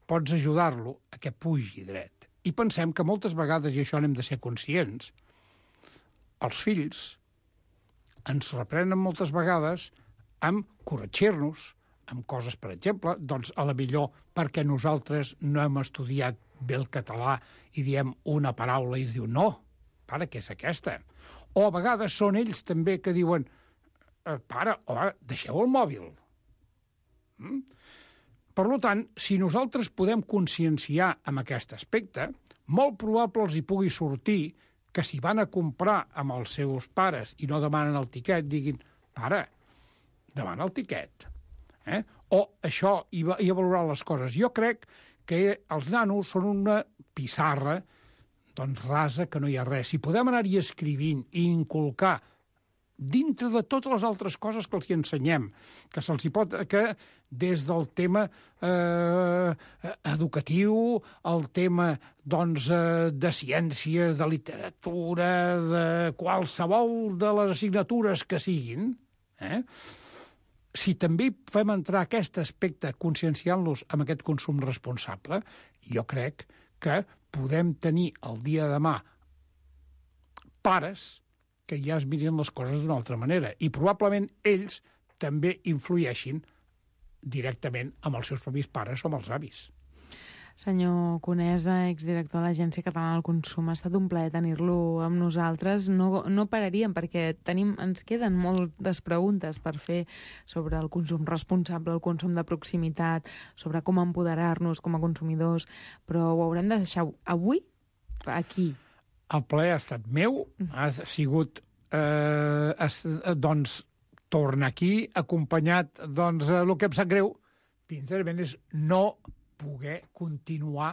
pots ajudar-lo a que pugi dret. I pensem que moltes vegades, i això n'hem de ser conscients, els fills ens reprenen moltes vegades amb corregir-nos, amb coses, per exemple, doncs a la millor perquè nosaltres no hem estudiat bé el català i diem una paraula i es diu no, pare, què és aquesta? O a vegades són ells també que diuen pare, home, deixeu el mòbil. Mm? Per tant, si nosaltres podem conscienciar amb aquest aspecte, molt probable els hi pugui sortir que si van a comprar amb els seus pares i no demanen el tiquet, diguin, pare, demana el tiquet. Eh? O això, i, i a valorar les coses. Jo crec que els nanos són una pissarra doncs rasa que no hi ha res. Si podem anar-hi escrivint i inculcar dintre de totes les altres coses que els hi ensenyem, que se'ls hi pot, que des del tema eh, educatiu, el tema doncs, eh, de ciències, de literatura, de qualsevol de les assignatures que siguin, eh? Si també fem entrar aquest aspecte conscienciant-los amb aquest consum responsable, jo crec que podem tenir el dia de demà pares que ja es mirin les coses d'una altra manera. I probablement ells també influeixin directament amb els seus propis pares o amb els avis. Senyor Conesa, exdirector de l'Agència Catalana del Consum, ha estat un plaer tenir-lo amb nosaltres. No, no pararíem perquè tenim, ens queden moltes preguntes per fer sobre el consum responsable, el consum de proximitat, sobre com empoderar-nos com a consumidors, però ho haurem de deixar avui aquí. El plaer ha estat meu, ha sigut, eh, es, doncs, tornar aquí, acompanyat, doncs, el que em sap greu, sincerament, és no poder continuar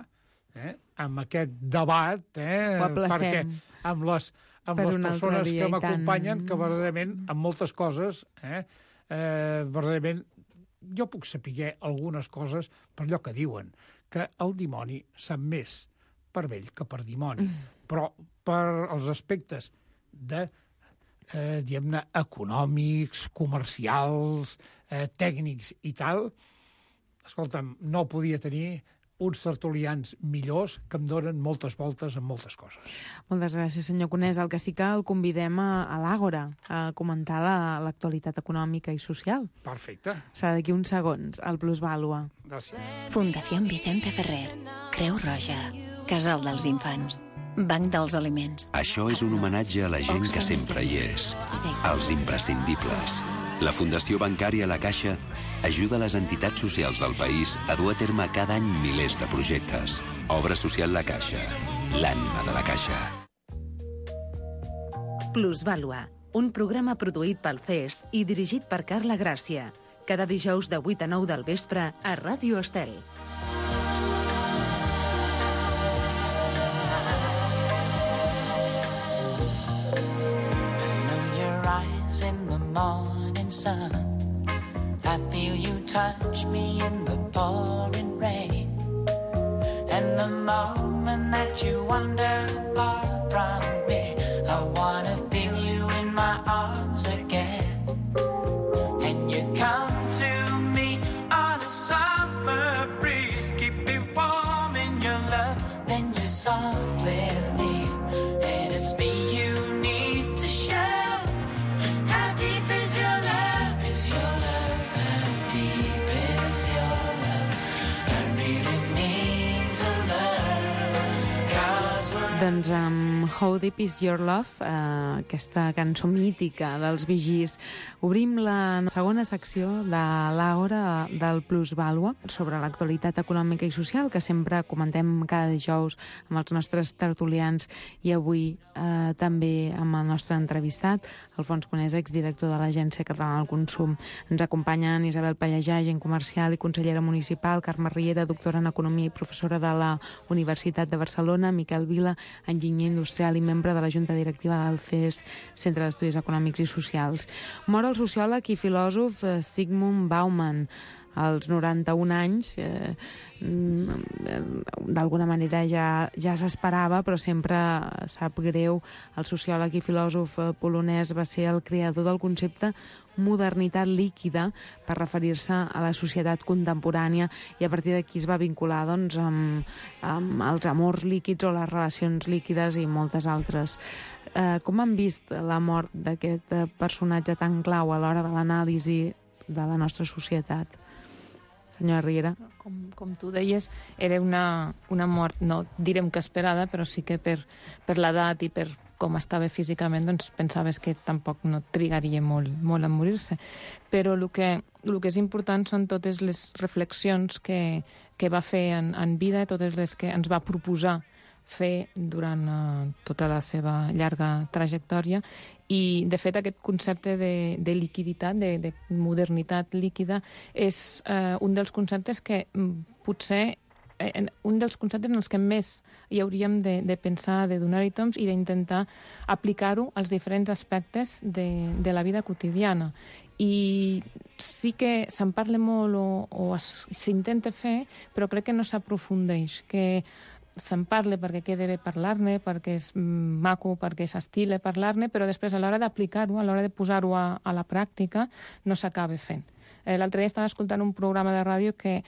eh, amb aquest debat, eh, perquè amb les, amb les persones que m'acompanyen, que verdaderament, amb moltes coses, eh, eh, verdaderament, jo puc saber algunes coses per allò que diuen, que el dimoni sap més per vell que per dimoni. Mm. Però per els aspectes de, eh, diguem-ne, econòmics, comercials, eh, tècnics i tal, escolta'm, no podia tenir uns tertulians millors que em donen moltes voltes en moltes coses. Moltes gràcies, senyor Conesa. El que sí que el convidem a, a l'Àgora a comentar l'actualitat la, econòmica i social. Perfecte. Serà d'aquí uns segons, al Plusvàlua. Gràcies. Fundació Vicente Ferrer, Creu Roja, Casal dels Infants, Banc dels Aliments. Això és un homenatge a la gent que sempre hi és, als imprescindibles. La Fundació Bancària La Caixa ajuda les entitats socials del país a dur a terme cada any milers de projectes. Obra social La Caixa, l'ànima de la Caixa. Plusvàlua, un programa produït pel C E S i dirigit per Carla Gràcia. Cada dijous de vuit a nou del vespre a Ràdio Estel. Sun. I feel you touch me in the pouring rain, and the moment that you wander far from me, I wanna feel you in my arms again. And you come to me on a summer breeze, keep me warm in your love, then you softly leave, and it's me you need to show. How deep is your love? Is your love how deep? doncs, amb How Deep Is Your Love, eh, aquesta cançó mítica dels Bee Gees. Obrim la segona secció de l'Hora del Plusvàlua sobre l'actualitat econòmica i social que sempre comentem cada dijous amb els nostres tertulians i avui eh, també amb el nostre entrevistat, Alfons Conesa, exdirector de l'Agència Catalana del Consum. Ens acompanyen Isabel Pallejà, agent comercial i consellera municipal, Carme Riera, doctora en Economia i professora de la Universitat de Barcelona, Miquel Vila, enginyer industrial i membre de la Junta Directiva del C E S, Centre d'Estudis Econòmics i Socials. Mor el sociòleg i filòsof Zygmunt Bauman als noranta-un anys. Eh, d'alguna manera ja, ja s'esperava, però sempre sap greu. El sociòleg i filòsof polonès va ser el creador del concepte modernitat líquida per referir-se a la societat contemporània i a partir d'aquí es va vincular doncs, amb, amb els amors líquids o les relacions líquides i moltes altres. Eh, com han vist la mort d'aquest personatge tan clau a l'hora de l'anàlisi de la nostra societat? Senyora Riera. Com, com tu deies, era una, una mort, no direm que esperada, però sí que per, per l'edat i per com estava físicament, doncs pensaves que tampoc no trigaria molt, molt a morir-se. Però el que, el que és important són totes les reflexions que, que va fer en, en vida, totes les que ens va proposar fer durant uh, tota la seva llarga trajectòria i, de fet, aquest concepte de, de liquiditat, de, de modernitat líquida, és uh, un dels conceptes que mm, potser eh, un dels conceptes en els que més hi hauríem de, de pensar, de donar-hi toms i d'intentar aplicar-ho als diferents aspectes de, de la vida quotidiana. I sí que se'n parla molt o, o s'intenta fer, però crec que no s'aprofundeix, que se'n parla perquè queda bé parlar-ne, perquè és maco, perquè s'estila parlar-ne, però després a l'hora d'aplicar-ho, a l'hora de posar-ho a, a la pràctica, no s'acaba fent. Eh, L'altre dia estava escoltant un programa de ràdio que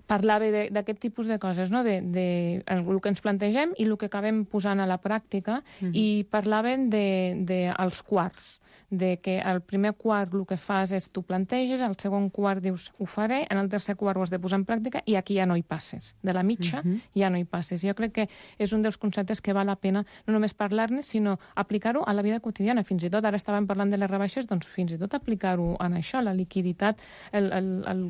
parlava d'aquest tipus de coses, no? de, de el, el que ens plantegem i el que acabem posant a la pràctica, mm-hmm. i parlaven dels de, de quarts, de que el primer quart el que fas és tu planteges, el segon quart dius ho faré, en el tercer quart ho has de posar en pràctica i aquí ja no hi passes. De la mitja uh-huh. ja no hi passes. Jo crec que és un dels conceptes que val la pena no només parlar-ne, sinó aplicar-ho a la vida quotidiana. Fins i tot, ara estàvem parlant de les rebaixes, doncs fins i tot aplicar-ho en això, la liquiditat, el, el, el,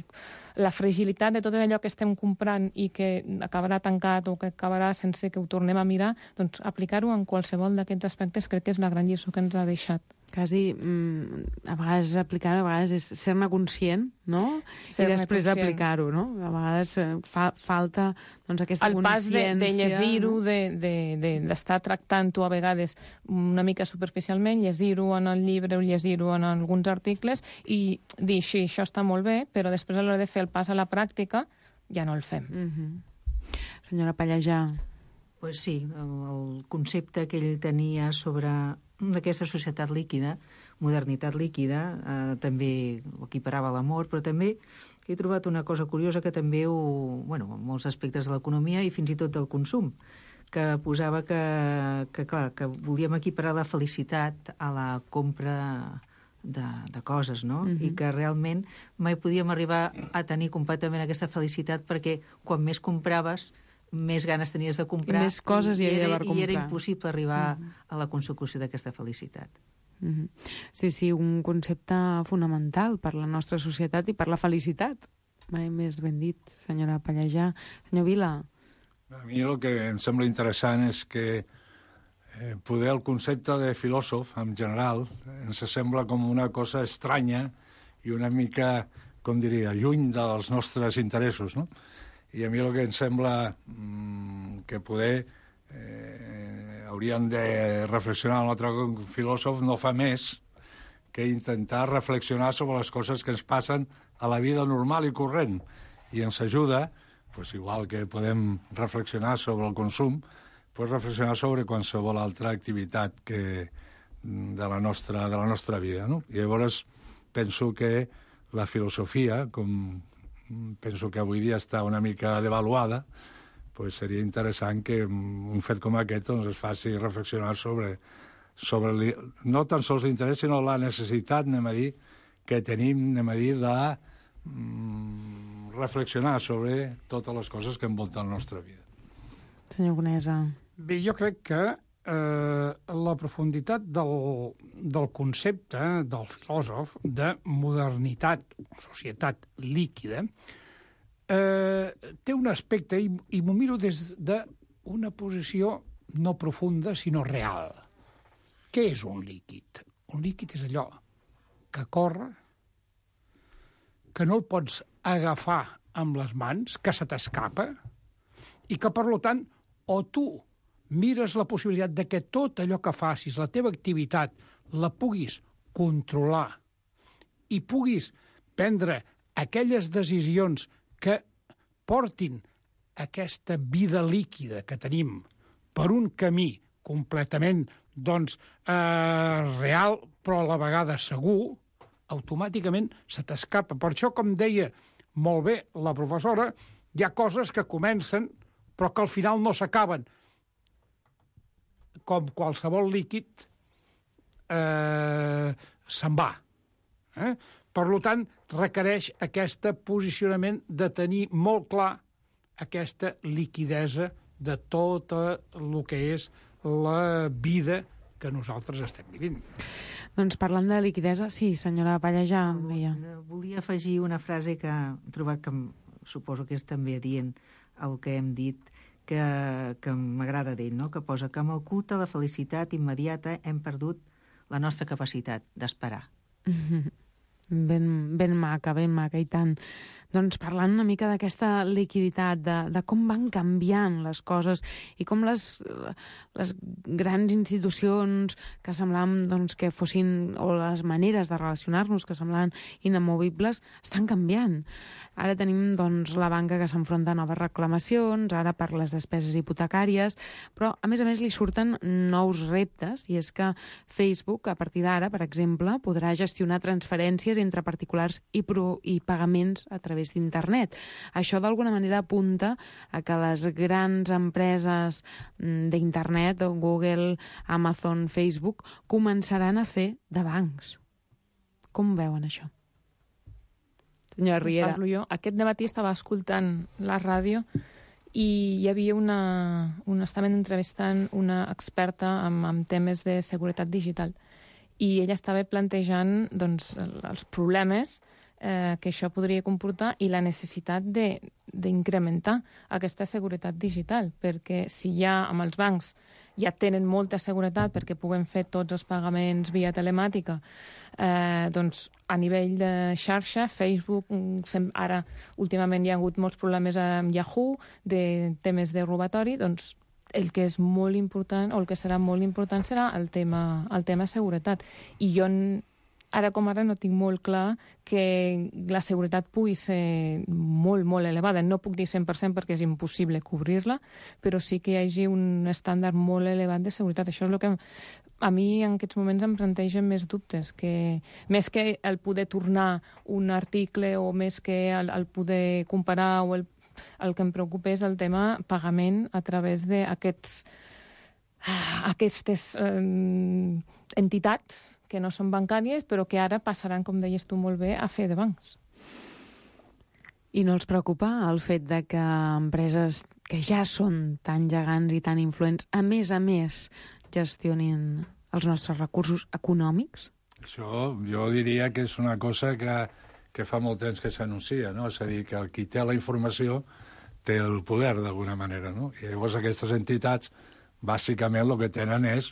la fragilitat de tot allò que estem comprant i que acabarà tancat o que acabarà sense que ho tornem a mirar, doncs aplicar-ho en qualsevol d'aquests aspectes crec que és la gran lliçó que ens ha deixat. Quasi, mm, a vegades aplicar, a vegades és ser-ne conscient, no? I després aplicar-ho, no? A vegades fa, falta doncs, aquesta el consciència. El pas de, de llegir-ho, d'estar de, de, de, tractant-ho a vegades una mica superficialment, llegir-ho en el llibre o llegir-ho en alguns articles i dir, sí, això està molt bé, però després a l'hora de fer el pas a la pràctica ja no el fem. Mm-hmm. Senyora Pallejà. Pues sí, el concepte que ell tenia sobre aquesta societat líquida, modernitat líquida, eh, també ho equiparava a l'amor, però també he trobat una cosa curiosa que també ho, bueno, en molts aspectes de l'economia i fins i tot del consum, que posava que, que, clar, que volíem equiparar la felicitat a la compra de, de coses, no? Uh-huh. I que realment mai podíem arribar a tenir completament aquesta felicitat perquè quan més compraves més ganes tenies de comprar i més coses hi havia era, per comprar. I era impossible arribar uh-huh. a la consecució d'aquesta felicitat. Uh-huh. Sí, sí, un concepte fonamental per la nostra societat i per la felicitat. Mai més ben dit, senyora Pallejà. Senyor Vila. A mi el que em sembla interessant és que eh, poder el concepte de filòsof, en general, ens sembla com una cosa estranya i una mica, com diria, lluny dels nostres interessos, no? I a mi el que em sembla mmm, que poder eh, hauríem de reflexionar un altre filòsof no fa més que intentar reflexionar sobre les coses que ens passen a la vida normal i corrent. I ens ajuda, pues, igual que podem reflexionar sobre el consum, pues, reflexionar sobre qualsevol altra activitat que, de, la nostra, de la nostra vida. No? I llavors penso que la filosofia, com penso que avui dia està una mica devaluada, pues seria interessant que un fet com aquest doncs, es faci reflexionar sobre, sobre no tan sols l'interès, sinó la necessitat, anem a dir, que tenim, anem a dir, de mm, reflexionar sobre totes les coses que envolten la nostra vida. Senyor Conesa. Bé, jo crec que eh, la profunditat del, del concepte del filòsof de modernitat, societat líquida, eh, té un aspecte, i, i m'ho miro des d'una posició no profunda, sinó real. Què és un líquid? Un líquid és allò que corre, que no el pots agafar amb les mans, que se t'escapa, i que, per tant, o tu mires la possibilitat de que tot allò que facis, la teva activitat, la puguis controlar i puguis prendre aquelles decisions que portin aquesta vida líquida que tenim per un camí completament doncs, eh, real, però a la vegada segur, automàticament se t'escapa. Per això, com deia molt bé la professora, hi ha coses que comencen però que al final no s'acaben. Com qualsevol líquid eh, se'n va. Eh? Per tant, requereix aquest posicionament de tenir molt clar aquesta liquidesa de tot el que és la vida que nosaltres estem vivint. Doncs parlant de liquidesa, sí, senyora Pallejà, deia. Volia afegir una frase que he trobat que suposo que és també adient el que hem dit, que, que m'agrada d'ell, no? Que posa que amb el culte a la felicitat immediata hem perdut la nostra capacitat d'esperar. Mm-hmm. Ben, ben maca, ben maca, i tant. Doncs parlant una mica d'aquesta liquiditat, de, de com van canviant les coses i com les, les grans institucions que semblaven doncs, que fossin, o les maneres de relacionar-nos que semblaven inamovibles, estan canviant. Ara tenim doncs, la banca que s'enfronta a noves reclamacions, ara per les despeses hipotecàries, però a més a més li surten nous reptes, i és que Facebook, a partir d'ara, per exemple, podrà gestionar transferències entre particulars i, pro, i pagaments a través d'internet. Això d'alguna manera apunta a que les grans empreses d'internet, Google, Amazon, Facebook, començaran a fer de bancs. Com veuen això? Senyora Riera. Parlo jo. Aquest dematí estava escoltant la ràdio i hi havia una... una estaven entrevistant una experta en, en temes de seguretat digital i ella estava plantejant doncs, els problemes eh, que això podria comportar i la necessitat d'incrementar aquesta seguretat digital, perquè si ja amb els bancs ja tenen molta seguretat perquè puguen fer tots els pagaments via telemàtica, eh, doncs a nivell de xarxa, Facebook, ara últimament hi ha hagut molts problemes amb Yahoo, de temes de robatori, doncs el que és molt important, o el que serà molt important, serà el tema, el tema seguretat. I jo, ara com ara, no tinc molt clar que la seguretat pugui ser molt, molt elevada. No puc dir cent per cent perquè és impossible cobrir-la, però sí que hi hagi un estàndard molt elevat de seguretat. Això és el que a mi en aquests moments em plantegen més dubtes, que més que el poder tornar un article o més que el, el poder comparar o el el que em preocupa és el tema pagament a través d'aquests aquestes eh, entitats que no són bancàries, però que ara passaran, com deies tu molt bé, a fer de bancs. I no els preocupa el fet de que empreses que ja són tan gegants i tan influents, a més a més, gestionin els nostres recursos econòmics? Això jo diria que és una cosa que que fa molt temps que s'anuncia, no? És a dir, que el qui té la informació té el poder, d'alguna manera, no? I llavors aquestes entitats, bàsicament, el que tenen és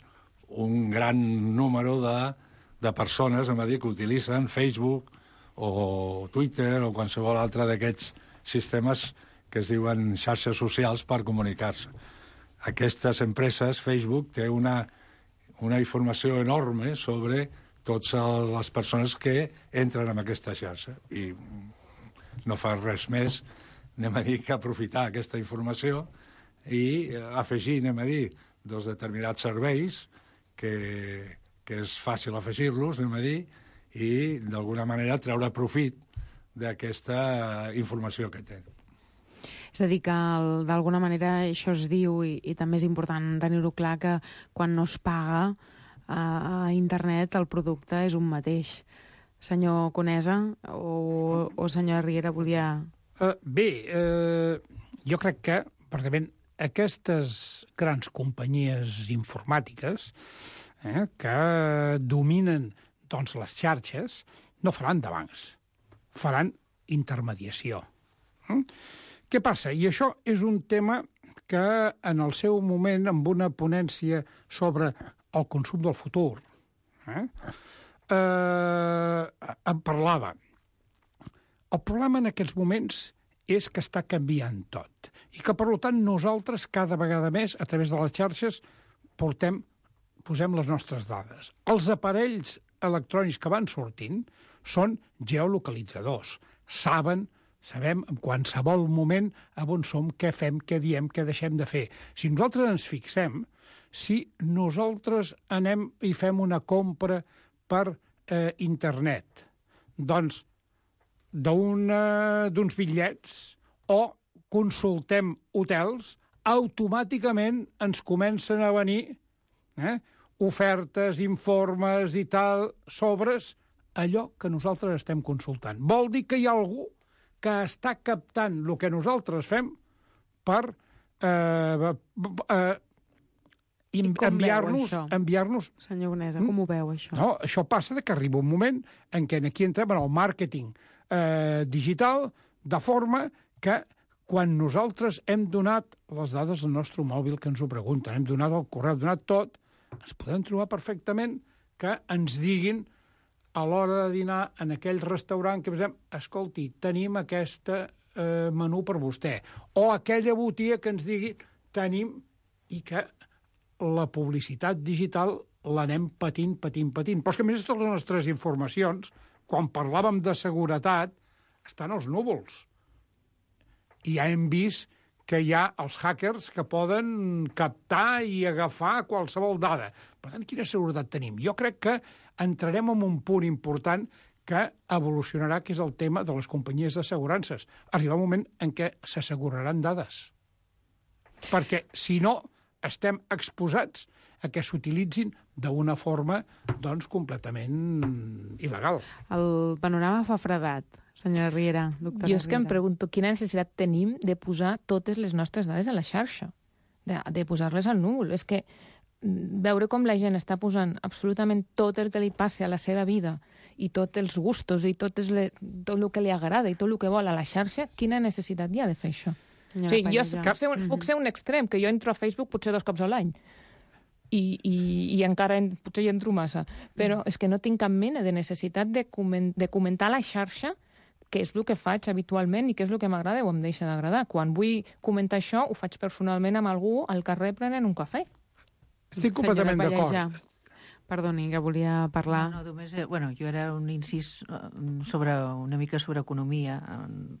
un gran número de, de persones, a dir, que utilitzen Facebook o Twitter o qualsevol altre d'aquests sistemes que es diuen xarxes socials per comunicar-se. Aquestes empreses, Facebook, té una, una informació enorme sobre totes les persones que entren en aquesta xarxa i no fa res més, anem a dir, que aprofitar aquesta informació i afegir, anem a dir, dos determinats serveis que, que és fàcil afegir-los, anem a dir, i d'alguna manera treure profit d'aquesta informació que tenen. És a dir, que d'alguna manera això es diu, i, i també és important tenir-ho clar, que quan no es paga a internet el producte és un mateix. Senyor Conesa o, o senyora Riera volia... Uh, bé, uh, jo crec que, precisament, aquestes grans companyies informàtiques eh, que dominen doncs, les xarxes no faran de bancs, faran intermediació. Mm? Què passa? I això és un tema que en el seu moment, amb una ponència sobre el consum del futur, eh, eh, em parlava. El problema en aquests moments és que està canviant tot i que, per tant, nosaltres cada vegada més, a través de les xarxes, portem, posem les nostres dades. Els aparells electrònics que van sortint són geolocalitzadors. Saben, sabem en qualsevol moment on som, què fem, què diem, què deixem de fer. Si nosaltres ens fixem, si nosaltres anem i fem una compra per eh, internet, doncs d'uns bitllets o consultem hotels, automàticament ens comencen a venir eh, ofertes, informes i tal, sobres allò que nosaltres estem consultant. Vol dir que hi ha algú que està captant el que nosaltres fem per eh, eh, enviar-nos... enviar-nos... Senyor Conesa, com ho veu, això? No, això passa que arriba un moment en què aquí entrem en el màrqueting eh, digital, de forma que quan nosaltres hem donat les dades del nostre mòbil que ens ho pregunten, hem donat el correu, hem donat tot, ens podem trobar perfectament que ens diguin a l'hora de dinar en aquell restaurant que pensem, escolti, tenim aquest eh, menú per vostè. O aquella botiga que ens digui, tenim, i que la publicitat digital l'anem patint, patint, patint. Però és que, a més, totes les nostres informacions, quan parlàvem de seguretat, estan als núvols. I ja hem vist que hi ha els hackers que poden captar i agafar qualsevol dada. Per tant, quina seguretat tenim? Jo crec que entrarem en un punt important que evolucionarà, que és el tema de les companyies d'assegurances. Arribarà un moment en què s'asseguraran dades. Perquè, si no, estem exposats a que s'utilitzin d'una forma, doncs, completament il·legal. El panorama fa fredat, senyora Riera, doctora Jo és que em Riera. pregunto quina necessitat tenim de posar totes les nostres dades a la xarxa, de, de posar-les al núvol. És que veure com la gent està posant absolutament tot el que li passa a la seva vida i tots els gustos i tot, le, tot el que li agrada i tot el que vol a la xarxa, quina necessitat hi ha de fer això? O sigui, jo puc ser, un, puc ser un extrem, que jo entro a Facebook potser dos cops a l'any i, i, i encara en, potser hi entro massa, però és que no tinc cap mena de necessitat de, coment, de comentar a la xarxa què és el que faig habitualment i què és el que m'agrada o em deixa d'agradar. Quan vull comentar això, ho faig personalment amb algú al carrer prenent un cafè. Estic completament d'acord. Perdoni, que volia parlar. No, no, només, eh, bueno, jo era un incís sobre, una mica sobre economia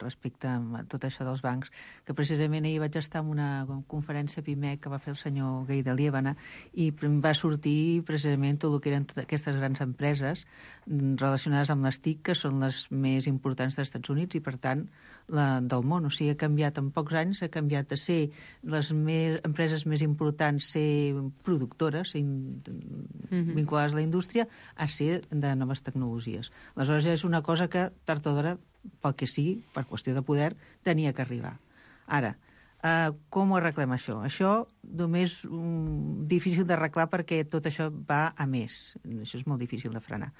respecte a tot això dels bancs, que precisament ahir vaig estar en una conferència PIMEC que va fer el senyor Gai de Liébana i va sortir precisament tot el que eren aquestes grans empreses relacionades amb les T I C, que són les més importants dels Estats Units i, per tant, la, del món. O sigui, ha canviat en pocs anys, ha canviat de ser les més, empreses més importants, ser productores in, mm-hmm. vinculades a la indústria, a ser de noves tecnologies. Aleshores, és una cosa que, tard o d'hora, pel que sigui, per qüestió de poder, tenia que arribar. Ara, Uh, com ho arreglem això? Això només um, difícil d'arreglar perquè tot això va a més. Això és molt difícil de frenar.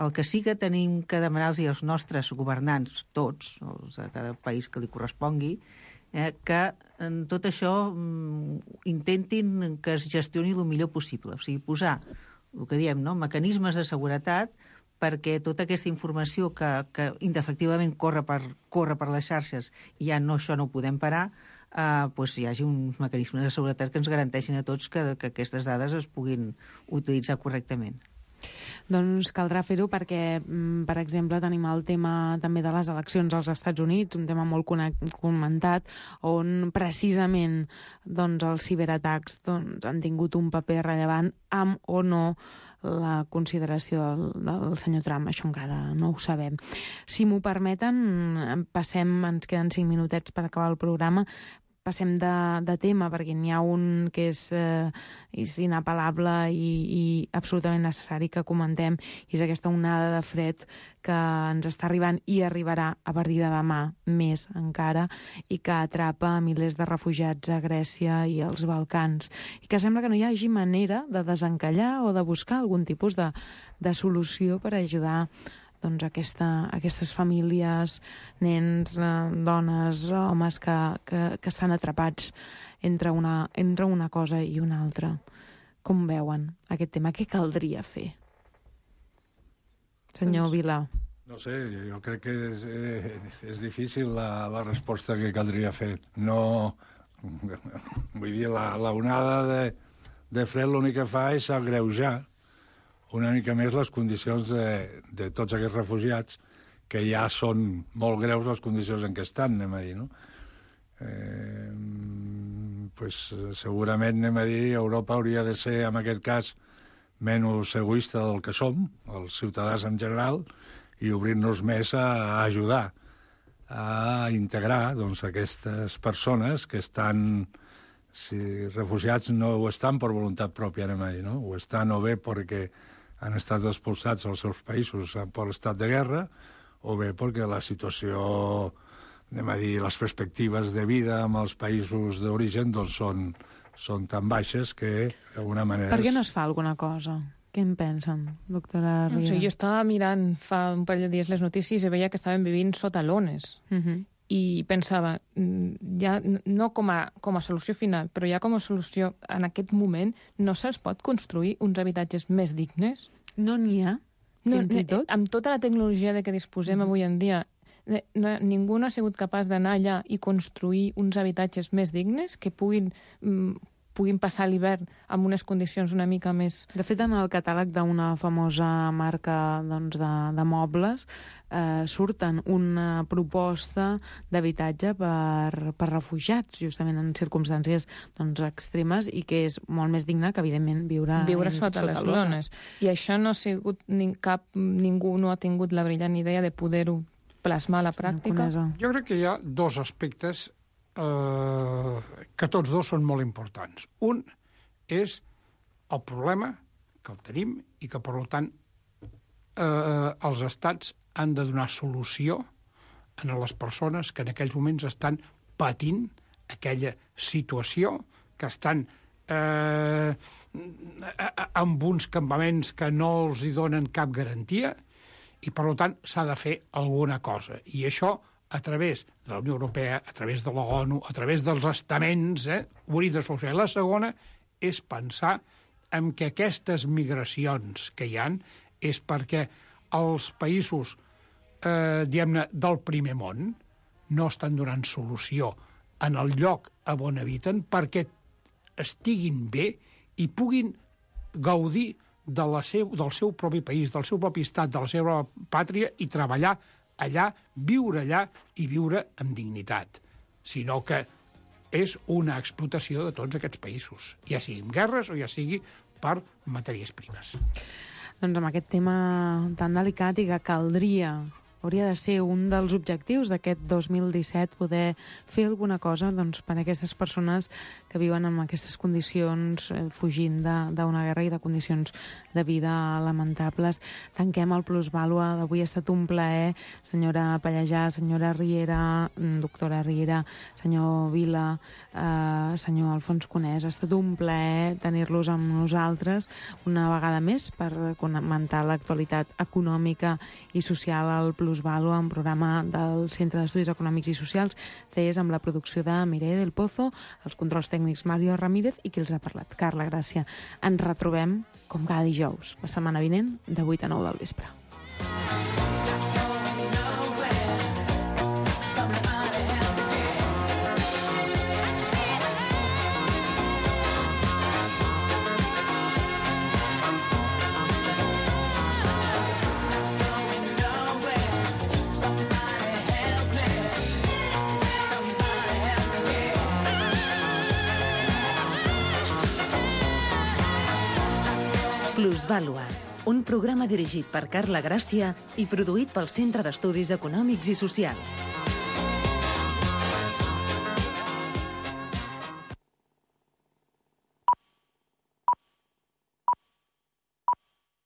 El que sí que tenim que demanar-los als nostres governants, tots, els de cada país que li correspongui, eh, que en tot això um, intentin que es gestioni el millor possible. O sigui, posar, el que diem, no? mecanismes de seguretat perquè tota aquesta informació que, que indefectivament corre per, corre per les xarxes i ja no, això no ho podem parar, Uh, pues hi hagi uns mecanismes de seguretat que ens garanteixin a tots que, que aquestes dades es puguin utilitzar correctament. Doncs caldrà fer-ho perquè, per exemple, tenim el tema també de les eleccions als Estats Units, un tema molt comentat, on precisament doncs, els ciberatacs doncs, han tingut un paper rellevant amb o no la consideració del, del senyor Trump. Això encara no ho sabem. Si m'ho permeten, passem, ens queden cinc minutets per acabar el programa, passem de, de tema, perquè n'hi ha un que és, eh, és inapel·lable i, i absolutament necessari que comentem, i és aquesta onada de fred que ens està arribant i arribarà a partir de demà més encara, i que atrapa milers de refugiats a Grècia i als Balcans, i que sembla que no hi hagi manera de desencallar o de buscar algun tipus de, de solució per ajudar doncs, aquesta, aquestes famílies, nens, eh, dones, homes que, que, que estan atrapats entre una, entre una cosa i una altra. Com veuen aquest tema? Què caldria fer? Senyor Vila. No sé, jo crec que és, eh, és difícil la, la resposta que caldria fer. No, vull dir, la, la onada de, de fred l'únic que fa és agreujar una mica més les condicions de, de tots aquests refugiats, que ja són molt greus les condicions en què estan, anem a dir, no? Eh, pues, segurament, anem a dir, Europa hauria de ser, en aquest cas, menys egoista del que som, els ciutadans en general, i obrir-nos més a, a ajudar, a integrar doncs, aquestes persones que estan, si refugiats no ho estan per voluntat pròpia, anem a dir, no? Ho estan o bé perquè han estat expulsats als seus països per l'estat de guerra, o bé perquè la situació, anem a dir, les perspectives de vida en els països d'origen doncs són, són tan baixes que, d'alguna manera... Per què no es fa alguna cosa? Què en pensen, doctora Riera? No sé, jo estava mirant fa un parell de dies les notícies i veia que estaven vivint sota lones. Uh -huh. I pensava, ja no com a, com a solució final, però ja com a solució en aquest moment, no se'ls pot construir uns habitatges més dignes? No n'hi ha, no, fins i tot? Amb tota la tecnologia de què disposem mm. avui en dia, no, ningú no ha sigut capaç d'anar allà i construir uns habitatges més dignes que puguin... Mm, puguin passar l'hivern amb unes condicions una mica més... De fet, en el catàleg d'una famosa marca doncs, de, de mobles eh, surten una proposta d'habitatge per, per refugiats, justament en circumstàncies doncs, extremes, i que és molt més digne que, evidentment, viure, viure sota, sota les lones. I això no ha sigut ni cap... Ningú no ha tingut la brillant idea de poder-ho plasmar a la pràctica. Jo crec que hi ha dos aspectes Eh, que tots dos són molt importants. Un és el problema que el tenim i que, per tant, eh, els estats han de donar solució a les persones que en aquells moments estan patint aquella situació, que estan eh, amb uns campaments que no els hi donen cap garantia, i, per tant, s'ha de fer alguna cosa. I això a través de la Unió Europea, a través de l'ONU, a través dels estaments, eh, ho hauria de solucionar. La segona és pensar en que aquestes migracions que hi han és perquè els països eh, diguem-ne, del primer món no estan donant solució en el lloc on habiten perquè estiguin bé i puguin gaudir de la seu, del seu propi país, del seu propi estat, de la seva pàtria, i treballar allà, viure allà i viure amb dignitat, sinó que és una explotació de tots aquests països, ja sigui amb guerres o ja sigui per matèries primes. Doncs amb aquest tema tan delicat i que caldria, hauria de ser un dels objectius d'aquest dos mil disset, poder fer alguna cosa doncs, per a aquestes persones que viuen en aquestes condicions, eh, fugint d'una guerra i de condicions de vida lamentables. Tanquem el Plusvàlua. Avui ha estat un plaer, senyora Pallejà, senyora Riera, doctora Riera, senyor Vila, eh, senyor Alfons Conès. Ha estat un plaer tenir-los amb nosaltres una vegada més per comentar l'actualitat econòmica i social al Plusvàlua, un programa del Centre d'Estudis Econòmics i Socials, C E S, amb la producció de Mireia del Pozo, els controls tècnics Mario Ramírez i qui els ha parlat, Carla Gràcia. Ens retrobem, com cada dijous, la setmana vinent, de vuit a nou del vespre. Plusvàlua, un programa dirigit per Carla Gràcia i produït pel Centre d'Estudis Econòmics i Socials.